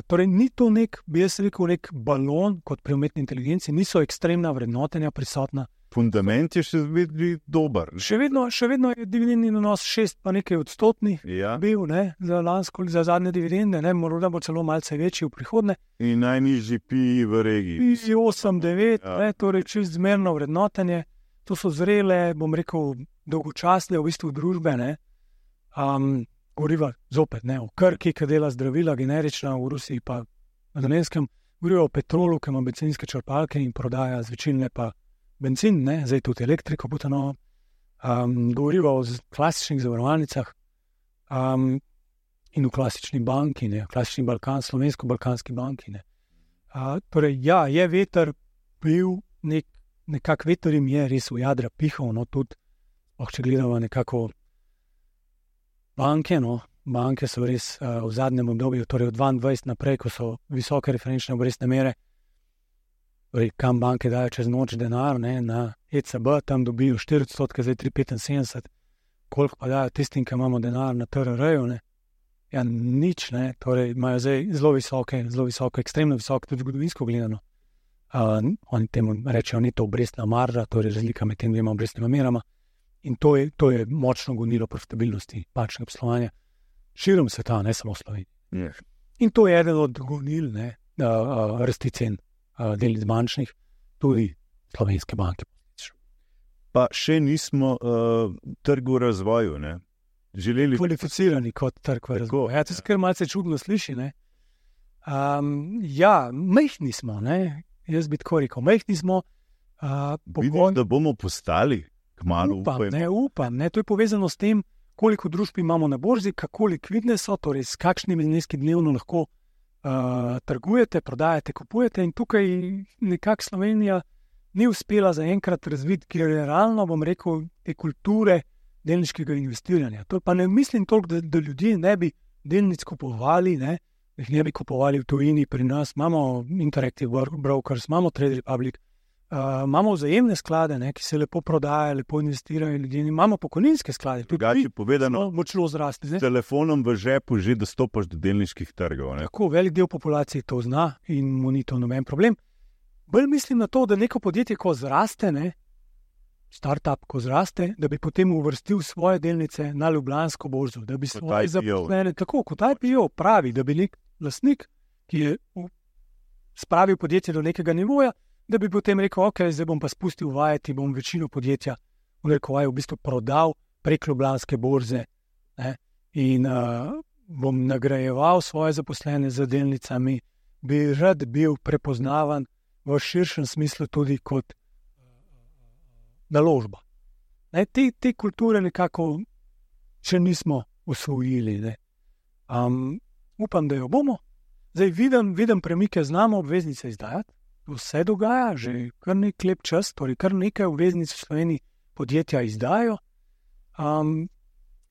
B: Torej, ni to bi jaz rekel, nek balon kot pri umetni inteligenci, niso ekstremna vrednotenja prisotna.
A: Fundament je še vedno dober.
B: Še vedno je dividendni donos 6 pa nekaj odstotni bil, za zadnje dividende, morda bo celo malce večji v prihodnje.
A: In najnižji PI v regiji.
B: PI 8-9, torej čist zmerno vrednotenje. To so zrele, dolgočasne v bistvu družbe, Govoriva zopet, o Krki, ki dela zdravila, generična, v Rusiji pa na Dolenjskem. Govoriva o Petrolu, ki ima bencinske črpalke in prodaja zvečilne pa benzin, zdaj tudi elektriko potanovo. Govoriva o klasičnih zavarovalnicah in v klasični banki, klasični slovensko-balkanski banki. Torej, je veter bil, nekak veter jim je res v jadra pihal, tudi, če gledamo nekako banke so res v zadnjem obdobju, torej od 22 naprej, ko so visoke referenčne obrestne mere, torej kam banke dajo čez noč denar, na ECB, tam dobijo 4%, zdaj 3,75%, koliko pa dajo tistim, ki imamo denar na TRR-ju, nič, torej imajo zdaj zelo visoko, ekstremno visoko, tudi zgodovinsko gledano. Oni temu rečejo, ni to obrestna marža, torej razlika med tem dvema obrestnima merama. In to je močno gonilo profitabilnosti bančnega poslovanja širom sveta, ne samo v Sloveniji. In to je eden od gonil rasti cen delnic bančnih, tudi slovenske banke.
A: Pa še nismo trg v razvoju,
B: Kvalificirani kot trg v razvoju. To se kar malce čudno sliši, majhni smo, Jaz bi tako rekel, majhni smo.
A: Vidim, da bomo postali.
B: Upam. To je povezano s tem, koliko družb imamo na borzi, kako likvidne so, torej s kakšnimi zneski dnevno lahko trgujete, prodajate, kupujete. In tukaj nekako Slovenija ni uspela zaenkrat razviti generalno, te kulture delniškega investiranja. To pa ne mislim toliko, da ljudje ne bi delnic kupovali, jih ne bi kupovali v tujini pri nas. Imamo Interactive Brokers, imamo Trade Republic, imamo vzajemne sklade, ki se lepo prodajajo, lepo investirajo ljudje. Imamo pokojninske sklade,
A: tudi povedano,
B: močno zrasti.
A: S telefonom v žepu že dostopaš do delniških trgov.
B: Tako velik del populacije to zna in mu ni to noben problem. Bolj mislim na to, da neko podjetje, ko zraste, startup, ko zraste, da bi potem uvrstil svoje delnice na Ljubljansko borzo, da bi svoje zaposlene, tako kot IPO pravi, da bi nek lastnik, ki je spravil podjetje do nekega nivoja, da bi potem rekel, zdaj bom pa spustil vajeti, bom večino podjetja v bistvu prodal prek Ljubljanske borze in bom nagrajeval svoje zaposlene z delnicami, bi rad bil prepoznavan v širšem smislu tudi kot naložba. Te kulture nekako še nismo usvojili. Upam, da jo bomo. Zdaj vidim premike, znamo obveznice izdajati. Vse dogaja, že kar nek lep čas, torej kar nekaj obveznic v Sloveniji podjetja izdajo.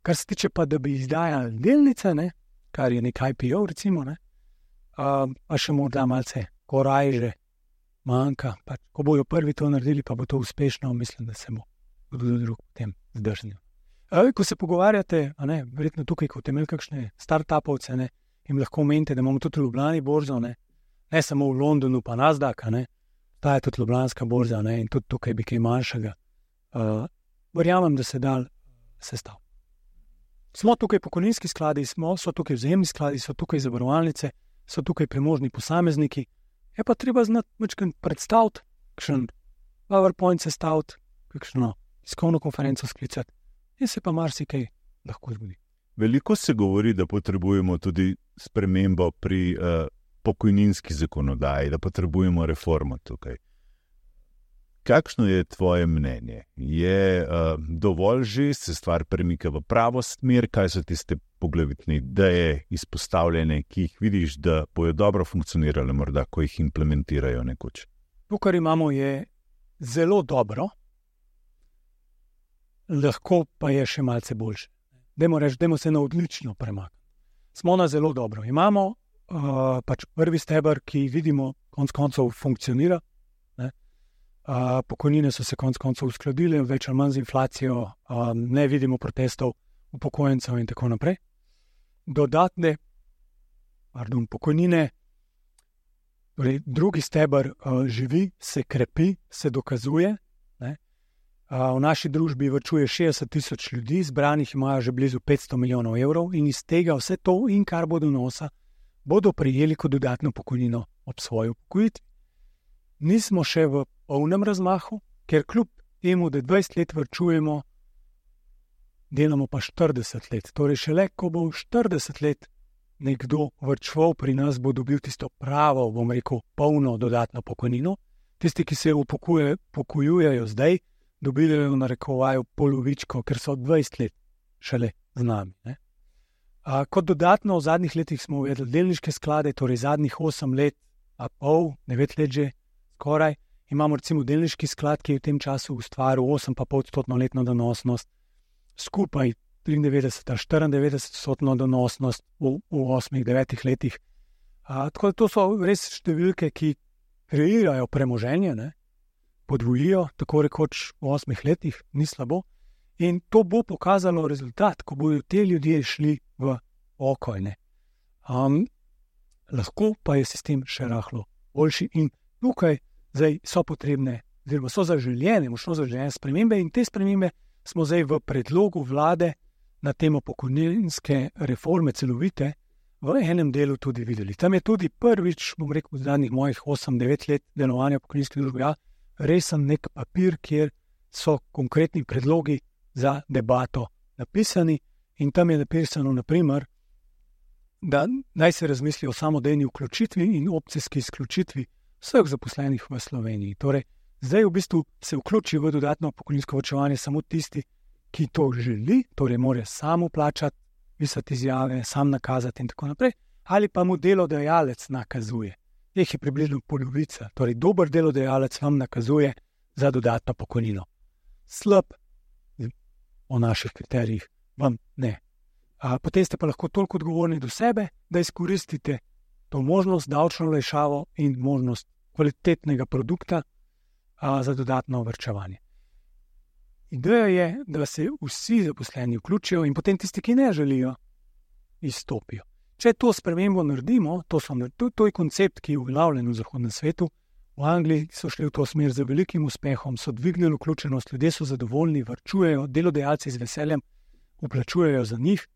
B: Kar se tiče pa, da bi izdajali delnice, kar je nek IPO, recimo, pa še morda malce korajže manjka. Ko bojo prvi to naredili, pa bo to uspešno, mislim, da se bo tudi drug potem zdrznil. Ko se pogovarjate, verjetno tukaj, ko imeli kakšne startupovce, jim lahko omenite, da imamo tudi v Ljubljani borzo, ne samo v Londonu, pa Nasdaq, ta je tudi Ljubljanska borza, in tudi tukaj bi kaj manjšega. Verjamem, da se da sestaviti. Smo tukaj pokojninski skladi, so tukaj vzajemni skladi, so tukaj zavarovalnice, so tukaj premožni posamezniki. Je pa treba znati večkrat predstaviti, kakšen PowerPoint sestaviti, kakšno tiskovno konferenco sklicati in se pa marsikaj lahko zgodi.
A: Veliko se govori, da potrebujemo tudi spremembo pri pokojninski zakonodaji, da potrebujemo reformo tukaj. Kakšno je tvoje mnenje? Je dovolj že, se stvar premika v pravo smer, kaj so tiste poglavitne ideje izpostavljene, ki jih vidiš, da bojo dobro funkcionirale, morda, ko jih implementirajo nekoč?
B: To, kar imamo, je zelo dobro. Zdaj, vidim, pri nas, ko so tukaj vzajemni skladi, so tukaj zavarovalnice, so tukaj zavarovalnice, so tukaj premožni posamezniki. Je pa treba znati večkrat predstaviti, kakšen PowerPoint sestaviti, kakšno tiskovno konferenco sklicati in se pa marsikaj lahko zgodi.
A: Veliko se govori, da potrebujemo tudi spremembo pri
B: lahko pa je še malce boljše. Dajmo se na odlično premakniti. Smo na zelo dobro. Imamo pač prvi steber, ki vidimo, konec koncev funkcionira. Pokojnine so se konec koncev uskladile, več ali manj z inflacijo, ne vidimo protestov upokojencev in tako naprej. Dodatne pokojnine, torej drugi steber živi, se krepi, se dokazuje. V naši družbi varčuje 60 tisoč ljudi, zbranih imajo že blizu 500 milijonov evrov in iz tega vse to in kar bodo nosa, bodo prejeli kot dodatno pokojnino ob svoji upokojitvi. Nismo še v polnem razmahu, ker kljub temu, da 20 let varčujemo, delamo pa 40 let. Torej šele, ko bo 40 let nekdo varčeval pri nas, bo dobil tisto pravo, polno dodatno pokojnino. Tisti, ki se upokojujejo zdaj, dobijo v narekovaju polovičko, ker so 20 let šele z nami. Kot dodatno v zadnjih letih smo uvedli delniške sklade, torej zadnjih 8 let, 9 let že skoraj. Imamo recimo delniški sklad, ki je v tem času ustvaril 8,5% letno donosnost, skupaj 93-94% donosnost v 8-9 letih. Tako da to so res številke, ki kreirajo premoženje, podvojijo, tako rekoč v 8 letih, ni slabo. In to bo pokazalo rezultat, ko bodo te ljudje šli v pokoj. Lahko pa je sistem še rahlo boljši in tukaj zdaj so potrebne, oziroma so zaželjene, močno zaželjene spremembe in te spremembe smo zdaj v predlogu vlade na temo pokojninske reforme celovite v enem delu tudi videli. Tam je tudi prvič, v zadnjih mojih 8-9 let delovanja pokojninske družbe, resen nek papir, kjer so konkretni predlogi za debato napisani in tam je napisano, naprimer, da naj se razmisli o samodejni vključitvi in opcijski izključitvi vseh zaposlenih v Sloveniji. Torej, zdaj v bistvu se vključi v dodatno pokojninsko varčevanje samo tisti, ki to želi, torej mora sam vplačati, pisati izjave, sam nakazati in tako naprej, ali pa mu delodajalec nakazuje. Teh je približno polovica, torej dober delodajalec vam nakazuje za dodatno pokojnino. Slab, o naših kriterijih, vam ne. Potem ste pa lahko toliko odgovorni do sebe, da izkoristite to možnost, davčno olajšavo in možnost kvalitetnega produkta za dodatno varčevanje. Ideja je, da se vsi zaposleni vključijo in potem tisti, ki ne želijo, izstopijo. Če to spremembo naredimo, to je koncept, ki je uveljavljen v zahodnem svetu. V Angliji so šli v to smer z velikim uspehom, so dvignili vključenost, ljudje so zadovoljni, varčujejo, delodajalci z veseljem vplačujejo za njih,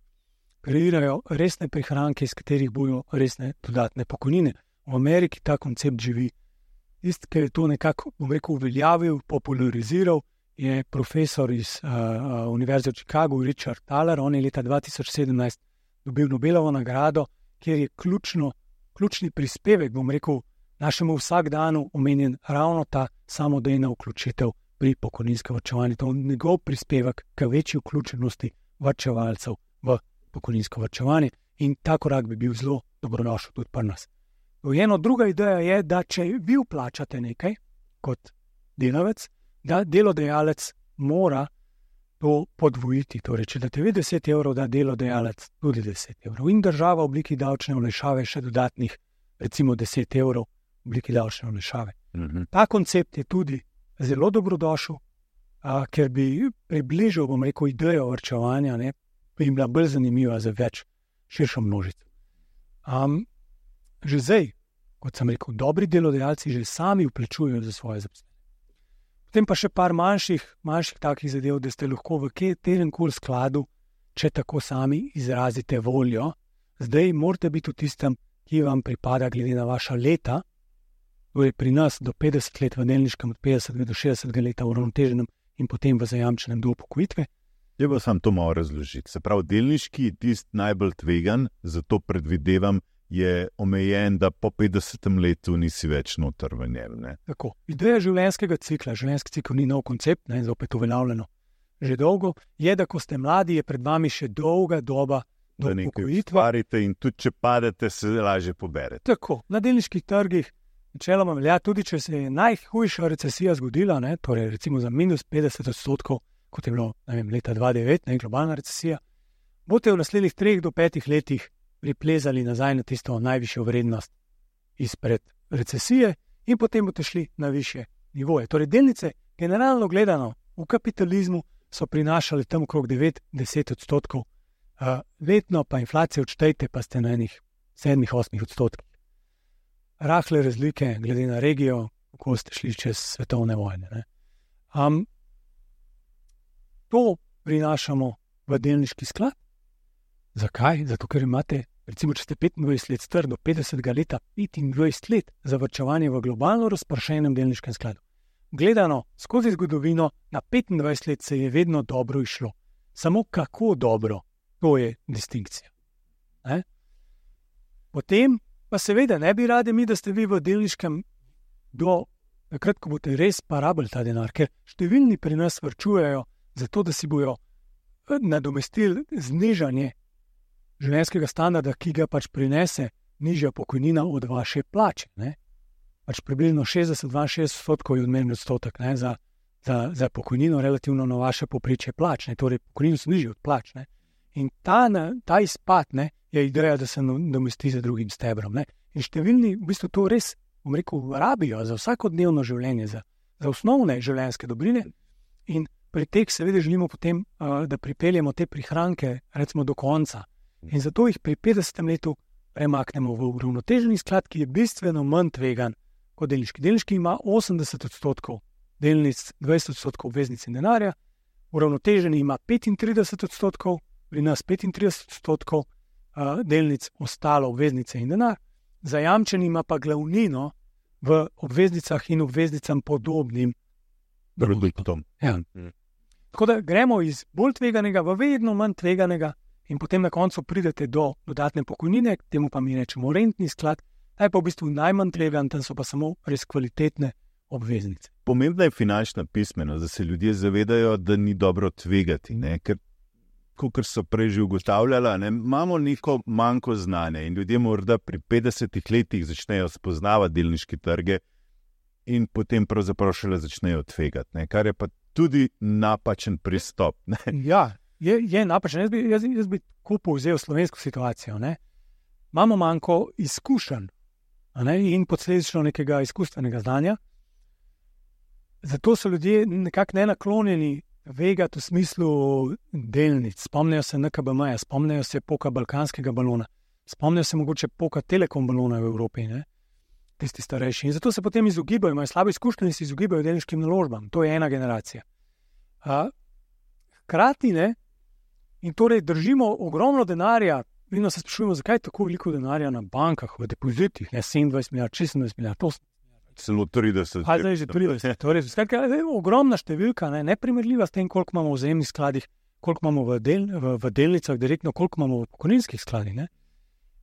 B: kreirajo resne prihranke, iz katerih bojo resne dodatne pokojnine. V Ameriki ta koncept živi. Tisti, ki je to nekako, uveljavil, populariziral, je profesor iz Univerze v Chicagu, Richard Thaler. On je leta 2017 dobil Nobelovo nagrado, kjer je ključni prispevek, našemu vsakdanu omenjen ravno ta samodejna vključitev pri pokojninskem varčevanju. To je njegov prispevek k večji vključenosti varčevalcev v pokojninsko varčevanje in ta korak bi bil zelo dobrodošel tudi pri nas. Eno druga ideja je, da če vi vplačate nekaj kot delavec, da delodajalec mora to podvojiti. Torej, če date vi 10 evrov, da delodajalec tudi 10 evrov in država v obliki davčne olajšave še dodatnih, recimo 10 evrov v obliki davčne olajšave. Ta koncept je tudi zelo dobrodošel, ker bi približal, idejo varčevanja, bi jim bila bolj zanimiva za več širšo množico. Že zdaj, kot sem rekel, dobri delodajalci že sami vplačujejo za svoje zaposlene. Potem pa še par manjših takih zadev, da ste lahko v kateremkoli skladu, če tako sami izrazite voljo. Zdaj morate biti v tistem, ki vam pripada glede na vaša leta, torej pri nas do 50 let v delniškem, od 50 do 60 leta v uravnoteženem in potem v zajamčenem do upokojitve.
A: Je pa sam to malo razložiti. Se pravi, delniški je tisti najbolj tvegan, zato predvidevam, je omejen, da po 50 letu nisi več noter v njem.
B: Tako. Ideja življenjskega cikla, življenjski cikl ni nov koncept, zopet uveljavljeno že dolgo, je, da ko ste mladi, je pred vami še dolga doba do upokojitve.
A: Ustvarite in tudi če padete, se lažje poberete.
B: Tako, na delniških trgih, načeloma velja, tudi če se je najhujša recesija zgodila, torej recimo za minus 50%, kot je bilo leta 2009, globalna recesija, boste v naslednjih 3 do 5 letih priplezali nazaj na tisto najvišjo vrednost izpred recesije in potem boste šli na višje nivoje. Torej, delnice, generalno gledano, v kapitalizmu so prinašale tam okrog 9-10%, letno pa inflacijo odštejte, pa ste na enih 7-8%. Rahle razlike glede na regijo, ko ste šli čez svetovne vojne. Ne. To prinašamo v delniški sklad. Zakaj? Zato, ker imate, recimo, če ste 25 let star, do 50 leta 25 let za varčevanje v globalno razpršenem delniškem skladu. Gledano skozi zgodovino, na 25 let se je vedno dobro išlo. Samo kako dobro, to je distinkcija. Ne? Potem pa seveda ne bi radi mi, da ste vi v delniškem do takrat, ko boste res porabili ta denar, ker številni pri nas varčujejo zato, da si bojo nadomestili znižanje življenjskega standarda, ki ga pač prinese nižja pokojnina od vaše plače. Ne? Pač približno 60-62% je odmerni odstotek, ne, za pokojnino relativno na vaše povprečje plač. Ne. Torej, pokojnine so nižje od plač. Ne. In ta izpad, ne, je ideja, da se nadomesti z drugim stebrom. Ne. In številni v bistvu to res, bom rekel, rabijo za vsakodnevno življenje, za osnovne življenjske dobrine. In pri teh seveda želimo potem, da pripeljemo te prihranke recimo do konca. In zato jih pri 50. letu premaknemo v uravnoteženi sklad, ki je bistveno manj tvegan kot delniški. Delniški ima 80% delnic, 20% obveznic in denarja, uravnoteženi ima 35%, pri nas 35% delnic, ostalo obveznice in denar, zajamčeni ima pa glavnino v obveznicah in obveznicam podobnim
A: produktom.
B: Ja. Tako da gremo iz bolj tveganega v vedno manj tveganega in potem na koncu pridete do dodatne pokojnine, temu pa mi rečemo rentni sklad, ta je pa v bistvu najmanj tvegan, tam so pa samo res kvalitetne obveznice.
A: Pomembna je finančna pismenost, da se ljudje zavedajo, da ni dobro tvegati, ne? Ker kot so prej že ugotavljala, ne, imamo neko manjko znanja in ljudje morda pri 50 letih začnejo spoznavati delniške trge in potem pravzaprav šele začnejo tvegati, ne, kar je pa tudi napačen pristop. Ne.
B: Ja, je napačen. Jaz bi tako povzel slovensko situacijo. Ne. Imamo manjko izkušenj in posledično nekega izkustvenega znanja. Zato so ljudje nekako nenaklonjeni vegati v smislu delnic. Spomnijo se NKBM-ja, spomnijo se poka balkanskega balona, spomnijo se mogoče poka Telekom balona v Evropi, ne? Tisti starejši. In zato se potem izogibajo, imajo slabe izkušnje in se izogibajo delniškim naložbam. To je ena generacija. Hkrati ne, in torej držimo ogromno denarja, vedno se sprašujemo, zakaj je tako veliko denarja na bankah, v depozitih, ne 27 milijard, 26 milijard, 8.
A: Celo 30.
B: Zdaj že 30. Torej, ogromna številka, neprimerljiva s tem, koliko imamo v vzajemnih skladih, koliko imamo v delnicah, direktno, koliko imamo v pokojninskih skladih. Ne?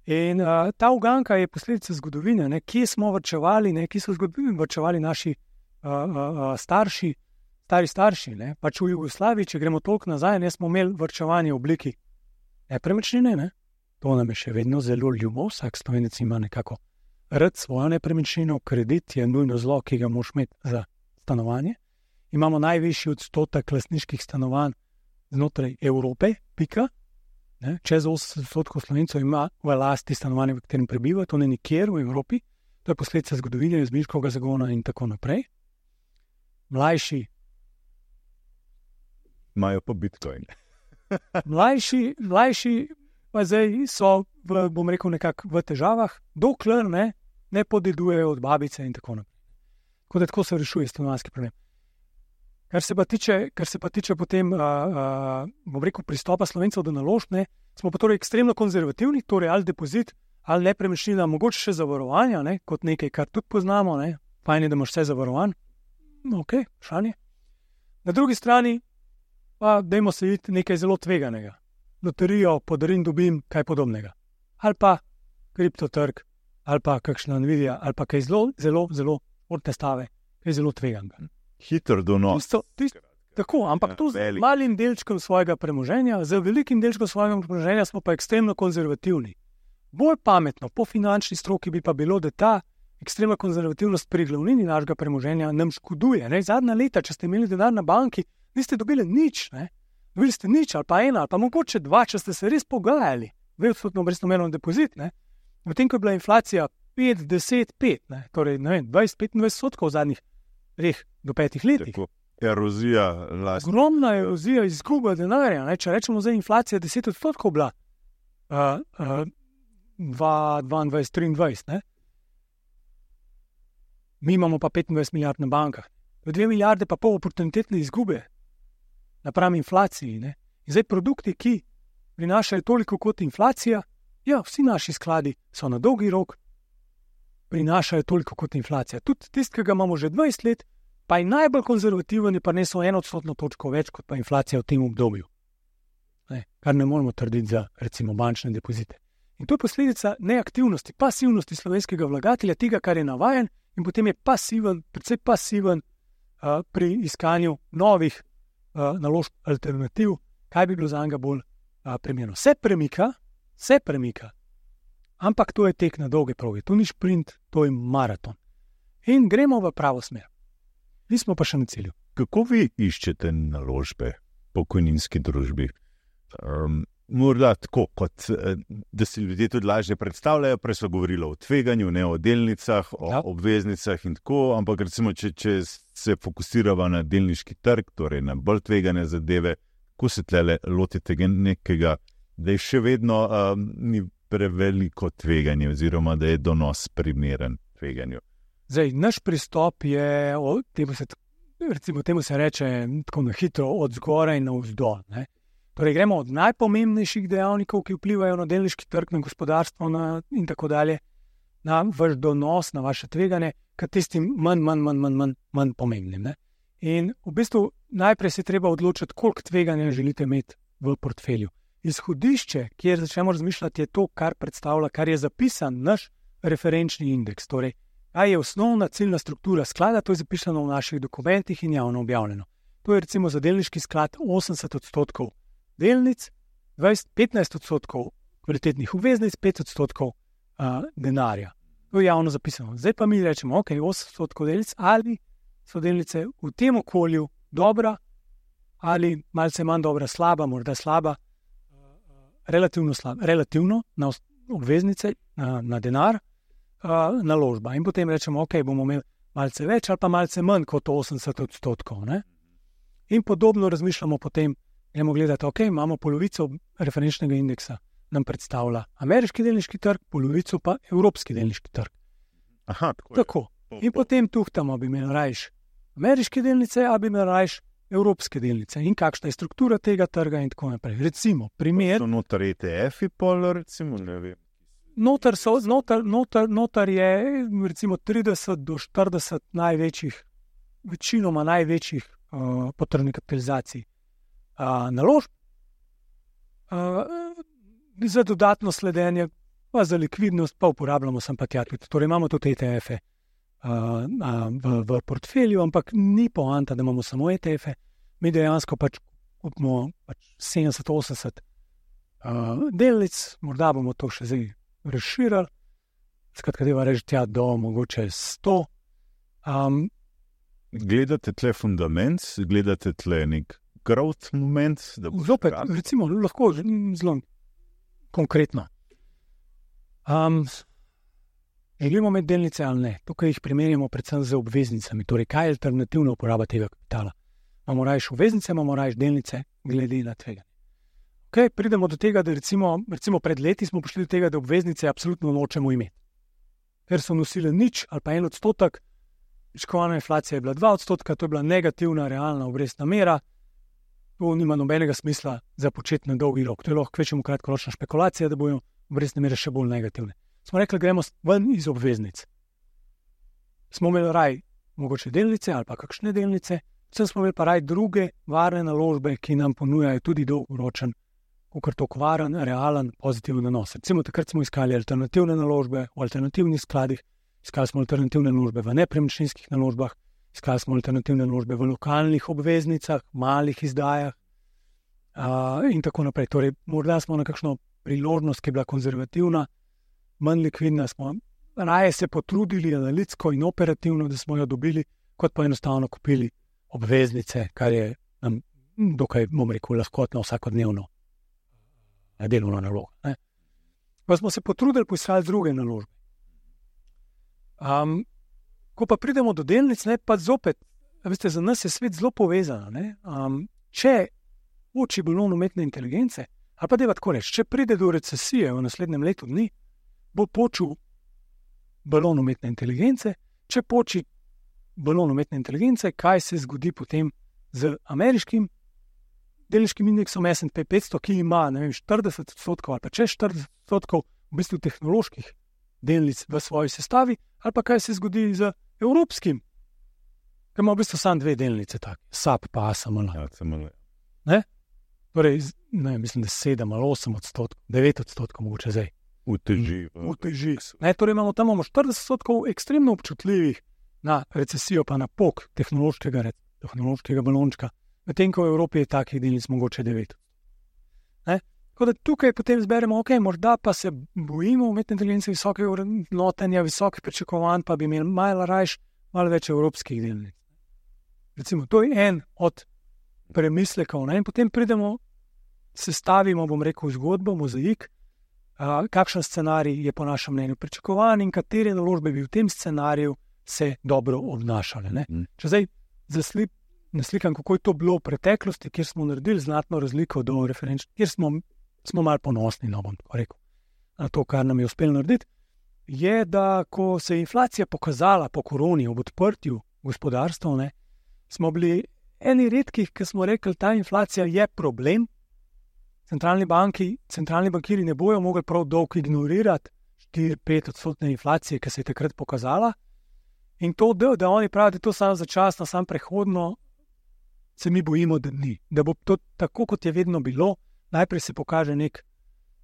B: In ta uganka je posledica zgodovine, ne? Kje smo varčevali, kje so varčevali naši stari starši. Ne? Pač v Jugoslaviji, če gremo toliko nazaj, ne smo imeli varčevanje v obliki nepremičnine. Ne? To nam je še vedno zelo ljubo, vsak Slovenec ima nekako rad svojo nepremičnino, kredit je nujno zlo, ki ga moraš imeti za stanovanje. Imamo najvišji odstotek lastniških stanovanj znotraj Evrope, pika. Ne? Čez 80% Slovencev ima v lasti stanovanje, v katerem prebiva, to ne nikjer v Evropi. To je posledica zgodovine, izmišljivega zagona in tako naprej. Mlajši
A: imajo pa Bitcoin.
B: Mlajši pa zdaj so, bom rekel, nekako v težavah, dokler ne podedujejo od babice in tako naprej. Tako se rešuje stanovanjski problem. Kar se pa tiče potem, bom rekel, pristopa Slovencev do naložb, smo pa torej ekstremno konzervativni, torej ali depozit, ali nepremičnina, mogoče še zavarovanja, kot nekaj, kar tudi poznamo, fajn je, da imaš vse zavarovan. Ok, šanje. Na drugi strani pa dajmo se videti nekaj zelo tveganega. Loterijo, podarim, dobim, kaj podobnega. Ali pa kriptotrg, ali pa kakšna Nvidia, ali pa kaj zelo športne stave, kaj zelo tveganga.
A: Hitro donos.
B: Tako, ampak to z malim delčkom svojega premoženja, z velikim delčkom svojega premoženja smo pa ekstremno konzervativni. Bolj pametno, po finančni stroki bi pa bilo, da ta ekstremna konzervativnost pri glavnini našega premoženja nam škoduje. Zadnja leta, če ste imeli denar na banki, niste dobili nič, ne? Dobili ste nič, ali pa ena, ali pa mogoče dva, če ste se res pogajali, 2% obrestno merno depozit, ne? Medtem ko je bila inflacija 5, 10, 5, ne? Torej, ne vem, 20-25% v zadnjih 3 do 5 letih.
A: Tako, erozija lasti.
B: Ogromna erozija, izguba denarja, ne? Če rečemo zdaj inflacija 10% bila 2022-2023, ne? Mi imamo pa 25 milijard na bankah. 2 milijarde pa pol oportunitetne izgube napram inflaciji, ne? In zdaj produkti, ki prinašajo toliko kot inflacija, ja, vsi naši skladi so na dolgi rok, prinašajo toliko kot inflacija. Tudi tisti, ki ga imamo že 20 let, pa je najbolj konzervativen, je pa nesel 1% točko več kot pa inflacija v tem obdobju. Ne? Kar ne moremo trditi za recimo bančne depozite. In to je posledica neaktivnosti, pasivnosti slovenskega vlagatelja, tega, kar je navajen, in potem je pasiven, predvsej pasiven pri iskanju novih naložb alternativ, kaj bi bilo za njega bolj primerno. Se premika, ampak to je tek na dolge proge, to ni šprint, to je maraton. In gremo v pravo smer. Nismo pa še na cilju.
A: Kako vi iščete naložbe pokojninski družbi? Morda tako, kot da si ljudje tudi lažje predstavljajo, prej so govorili o tveganju, ne o delnicah, o obveznicah in tako, ampak recimo, če se fokusirava na delniški trg, torej na bolj tvegane zadeve, kako se tlele lotite nekega, da je še vedno ni preveliko tveganje oziroma da je donos primeren tveganju?
B: Zdaj, naš pristop je, temu se reče tako na hitro, od zgoraj na vzdolj, ne? Torej, gremo od najpomembnejših dejavnikov, ki vplivajo na delniški trg, na gospodarstvo in tako dalje, na vaš donos, na vaše tveganje, k tistim manj pomembnim, ne? In v bistvu najprej se treba odločiti, koliko tveganja želite imeti v portfelju. Izhodišče, kjer začnemo razmišljati, je to, kar predstavlja, kar je zapisan naš referenčni indeks. Torej, kaj je osnovna ciljna struktura sklada, to je zapisano v naših dokumentih in javno objavljeno. To je recimo za delniški sklad 80% delnic, 15% kvalitetnih obveznic, 5% denarja. To je javno zapisano. Zdaj pa mi rečemo, ok, 80% delnic, ali so delnice v tem okolju dobra, ali malce manj dobra, slaba, morda slaba, relativno na obveznice, na denar, naložba. In potem rečemo, ok, bomo imeli malce več ali pa malce manj kot 80%. Ne? In podobno razmišljamo potem, gremo gledati, ok, imamo polovico referenčnega indeksa, nam predstavlja ameriški delniški trg, polovico pa evropski delniški trg.
A: Aha,
B: tako. In potem tuhtamo, bi imeli rajš ameriške delnice, ali bi imeli rajš evropske delnice in kakšna je struktura tega trga in tako naprej. Recimo, primer...
A: So notar ETF-i pol, recimo, ne vem.
B: Notar je recimo 30 do 40 največjih, večinoma največjih potrebnih kapitalizacij naložb, za dodatno sledenje, pa za likvidnost, pa uporabljamo sem pa tja tudi. Torej imamo tudi ETF-e v portfelju, ampak ni poanta, da imamo samo ETF-e. Mi dejansko pač kupimo 70-80 delnic, morda bomo to še zdaj razširili, skratka, deva reči tja do mogoče 100.
A: Gledate tle fundament, gledate tle nek growth moment?
B: Zopet, recimo, lahko zelo konkretno. Želimo imeti delnice ali ne? Tukaj jih primerjamo predvsem z obveznicami. Torej, kaj je alternativna uporaba tega kapitala? Imamo rajš obveznice, imamo rajš delnice, glede na tveganje. Okay, pridemo do tega, da recimo pred leti smo prišli do tega, da obveznice absolutno nočemo imeti. Ker so nosile nič ali pa 1%, pričakovana inflacija je bila 2%, to je bila negativna realna obrestna mera. To nima nobenega smisla za početi na dolgi rok. To je lahko kvečemu kratkoročna špekulacija, da bojo obrestne mere še bolj negativne. Smo rekli, gremo ven iz obveznic. Smo imeli raj mogoče delnice ali pa kakšne delnice, vsem smo imeli pa raj druge varne naložbe, ki nam ponujajo tudi dolgoročen, ukratko varen, realen, pozitiven donos. Recimo takrat smo iskali alternativne naložbe v alternativnih skladih, iskali smo alternativne naložbe v nepremičninskih naložbah, iskali smo alternativne naložbe v lokalnih obveznicah, malih izdajah in tako naprej. Torej, morda smo na kakšno priložnost, ki je bila konzervativna, manj likvidna, smo raje se potrudili analitsko in operativno, da smo jo dobili, kot pa enostavno kupili obveznice, kar je nam dokaj, bom rekel, lahkotno vsakodnevno delovno nalogo. Pa smo se potrudili poiskati druge naložbe. Ko pa pridemo do delnic, pa zopet, veste, za nas je svet zelo povezan. Če poči balon umetne inteligence, ali pa deva tako reči, če pride do recesije v naslednjem letu dni, bo počil balon umetne inteligence. Če poči balon umetne inteligence, kaj se zgodi potem z ameriškim delniškim indeksom S&P 500, ki ima 40% ali pa čez 40% v bistvu tehnoloških delnic v svoji sestavi, ali pa kaj se zgodi z evropskim, ki ima v bistvu samo 2 delnice, SAP pa ASML. Torej, mislim, da 7 ali 8%, 9% mogoče zdaj. Uteži. Torej imamo tam 40% ekstremno občutljivih na recesijo, pa na pok tehnološkega balončka, medtem ko v Evropi je takih delnic mogoče 9. Tako da tukaj potem zberemo, morda pa se bojimo umetne inteligence, visokega vrednotenja, visokih pričakovanj, pa bi imeli malo več evropskih delnic. Recimo, to je en od premislekov. In potem pridemo, sestavimo, bom rekel, zgodbo, mozaik, kakšen scenarij je po našem mnenju pričakovan in katere naložbe bi v tem scenariju se dobro obnašale. Če zdaj naslikam, kako je to bilo v preteklosti, kjer smo naredili znatno razliko do referenčnih, kjer smo malo ponosni, bom tako rekel, na to, kar nam je uspelo narediti, je, da ko se je inflacija pokazala po koroni ob odprtju gospodarstva, smo bili eni redkih, ki smo rekli, ta inflacija je problem. Centralni bankiri ne bojo mogli prav dolgo ignorirati 4-5% inflacije, ki se je takrat pokazala. In to, da oni pravijo, da je to samo začasno, samo prehodno, se mi bojimo, da ni. Da bo to tako, kot je vedno bilo, najprej se pokaže nek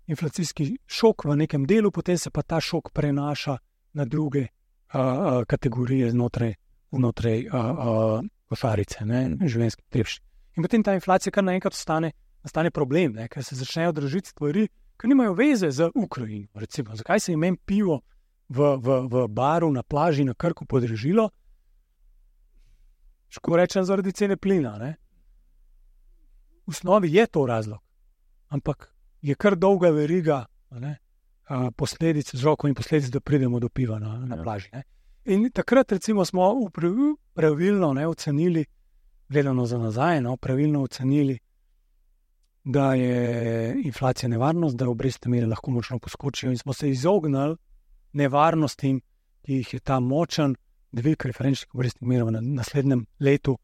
B: inflacijski šok v nekem delu, potem se pa ta šok prenaša na druge kategorije znotraj košarice, življenjskih potrebščin. In potem ta inflacija kar naenkrat nastane problem, ker se začnejo dražiti stvari, ki nimajo veze z Ukrajino. Recimo, zakaj se je meni pivo v baru na plaži na Krku podražilo? Ško rečem, zaradi cene plina. V osnovi je to razlog, ampak je kar dolga veriga posledic, vzrokov in posledic, da pridemo do piva na plaži. In takrat recimo smo pravilno ocenili, gledano za nazaj, pravilno ocenili, da je inflacija nevarnost, da obrestne mere lahko močno poskočijo in smo se izognili nevarnostim, ki jih je ta močen dvig referenčnih obrestnih mer v naslednjem letu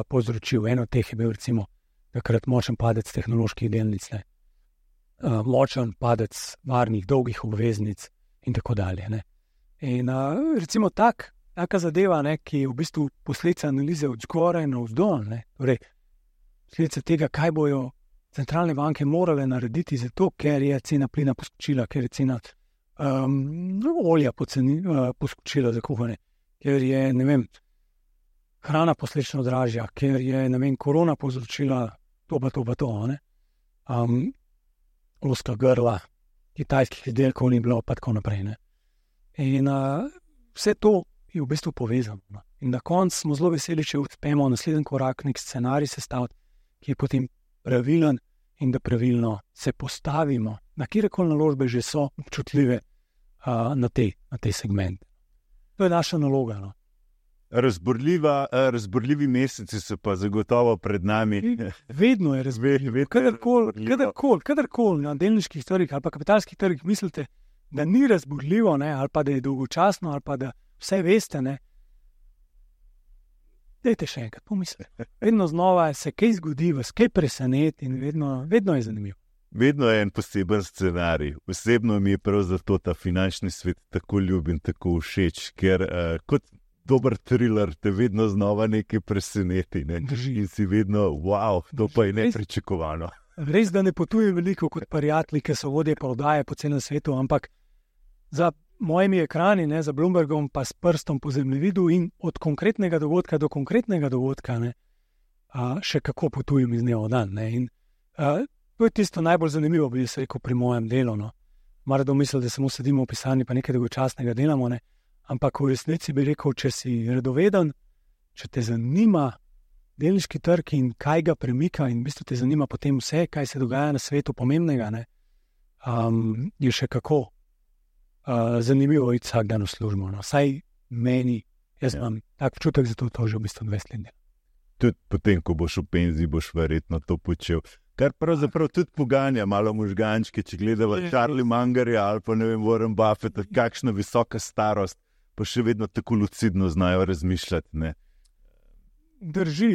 B: povzročil. Eno od teh je bil recimo takrat močen padec tehnoloških delnic, močen padec varnih dolgih obveznic in tako dalje. In recimo taka zadeva, ki je v bistvu posledica analize od zgoraj na vzdolj, torej posledica tega, kaj bojo centralne banke morale narediti zato, ker je cena plina poskočila, ker je cena olja poskočila za kuhanje, ker je, hrana posledično dražja, ker je, korona povzročila to. Ozka grla, kitajskih izdelkov ni bilo, pa tako naprej. In vse to je v bistvu povezano. In na koncu smo zelo veseli, če uspemo naslednji korak nek scenarij sestaviti, ki je potem pravilen in da pravilno se postavimo, na kjerkoli naložbe že so občutljive na tej segment. To je naša naloga.
A: Razburljivi meseci so pa zagotovo pred nami.
B: Vedno je razburljivo. Kadarkoli na delniških trgih ali pa kapitalskih trgih mislite, da ni razburljivo, ali pa da je dolgočasno, ali pa da vse veste, dajte še enkrat pomisliti. Vedno znova se kaj zgodi, vas kaj preseneti in vedno je zanimivo.
A: Vedno je en poseben scenarij. Osebno mi je prav zato ta finančni svet tako ljubim, tako všeč, ker kot dober thriller te vedno znova nekaj preseneti. In si vedno, wow, to pa je nepričakovano.
B: Res, da ne potujem veliko kot prijatelji, ki so vodje prodaje po celem svetu, ampak za mojimi ekrani, za Bloombergom, pa s prstom po zemljevidu in od konkretnega dogodka do konkretnega dogodka, še kako potujem iz dneva v dan. In to je tisto najbolj zanimivo, bi se rekel, pri mojem delu. Mara domislil, da samo sedimo v pisarni, pa nekaj dolgočasnega delamo, ampak v resnici bi rekel, če si redoveden, če te zanima delniški trg in kaj ga premika in v bistvu te zanima potem vse, kaj se dogaja na svetu pomembnega, ne, je še kako zanimivo iti vsak dan v službo. No. Vsaj meni, jaz imam tak občutek, zato to že v bistvu 20 let.
A: Tudi potem, ko boš v penziji, boš verjetno to počel. Kar pravzaprav tudi poganja malo možgančke, če gledava Charlie Mungerja ali pa ne vem, Warren Buffetta, kakšna visoka starost, pa še vedno tako lucidno znajo razmišljati. Ne?
B: Drži,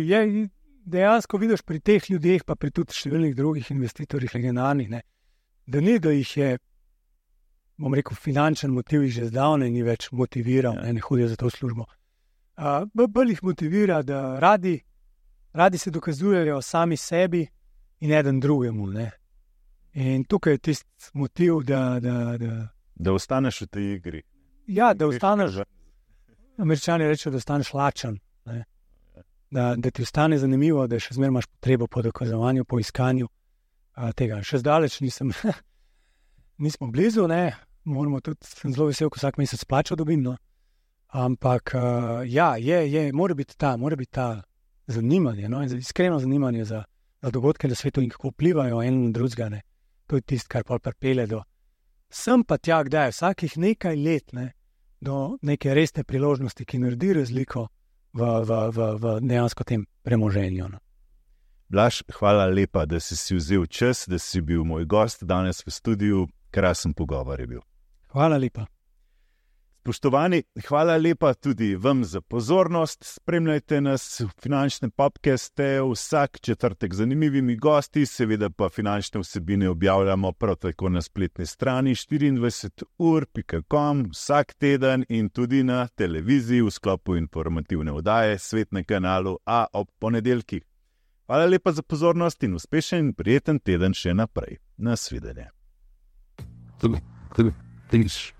B: dejansko vidiš pri teh ljudeh, pa pri tudi številnih drugih investitorjih legendarnih, ne, da ni, da jih je, bom rekel, finančen motiv jih že zdavnaj ni več motiviral, ne hodijo za to službo. Bolj jih motivira, da radi se dokazujejo sami sebi in eden drugemu. Ne. In tukaj je tisti motiv,
A: da ostaneš v tej igri.
B: Ja, da ostaneš, Američani rečejo, da ostaneš lačen. Ne. Da ti ostane zanimivo, da še zmeraj imaš potrebo po dokazovanju, po iskanju tega. Še zdaleč nismo blizu, ne. Moramo tudi, sem zelo vesel, ko vsak mesec plačo dobim, no. Ampak mora biti ta zanimanje, no, iskreno zanimanje za dogodke na svetu in kako vplivajo en na drugega, ne. To je tisto, kar pripelje do sem pa tja, kdaj vsakih nekaj let, ne, do neke resne priložnosti, ki naredi razliko v dejansko tem premoženju. No.
A: Blaž, hvala lepa, da si vzel čas, da si bil moj gost danes v studiu. Krasen pogovor je bil.
B: Hvala lepa.
A: Spoštovani, hvala lepa tudi vam za pozornost. Spremljajte nas v finančnem podcastu vsak četrtek z zanimivimi gosti, seveda pa finančne vsebine objavljamo prav tako na spletni strani 24ur.com vsak teden in tudi na televiziji v sklopu informativne oddaje Svet na kanalu A ob ponedeljkih. Hvala lepa za pozornost in uspešen in prijeten teden še naprej. Nasvidenje. Thanks.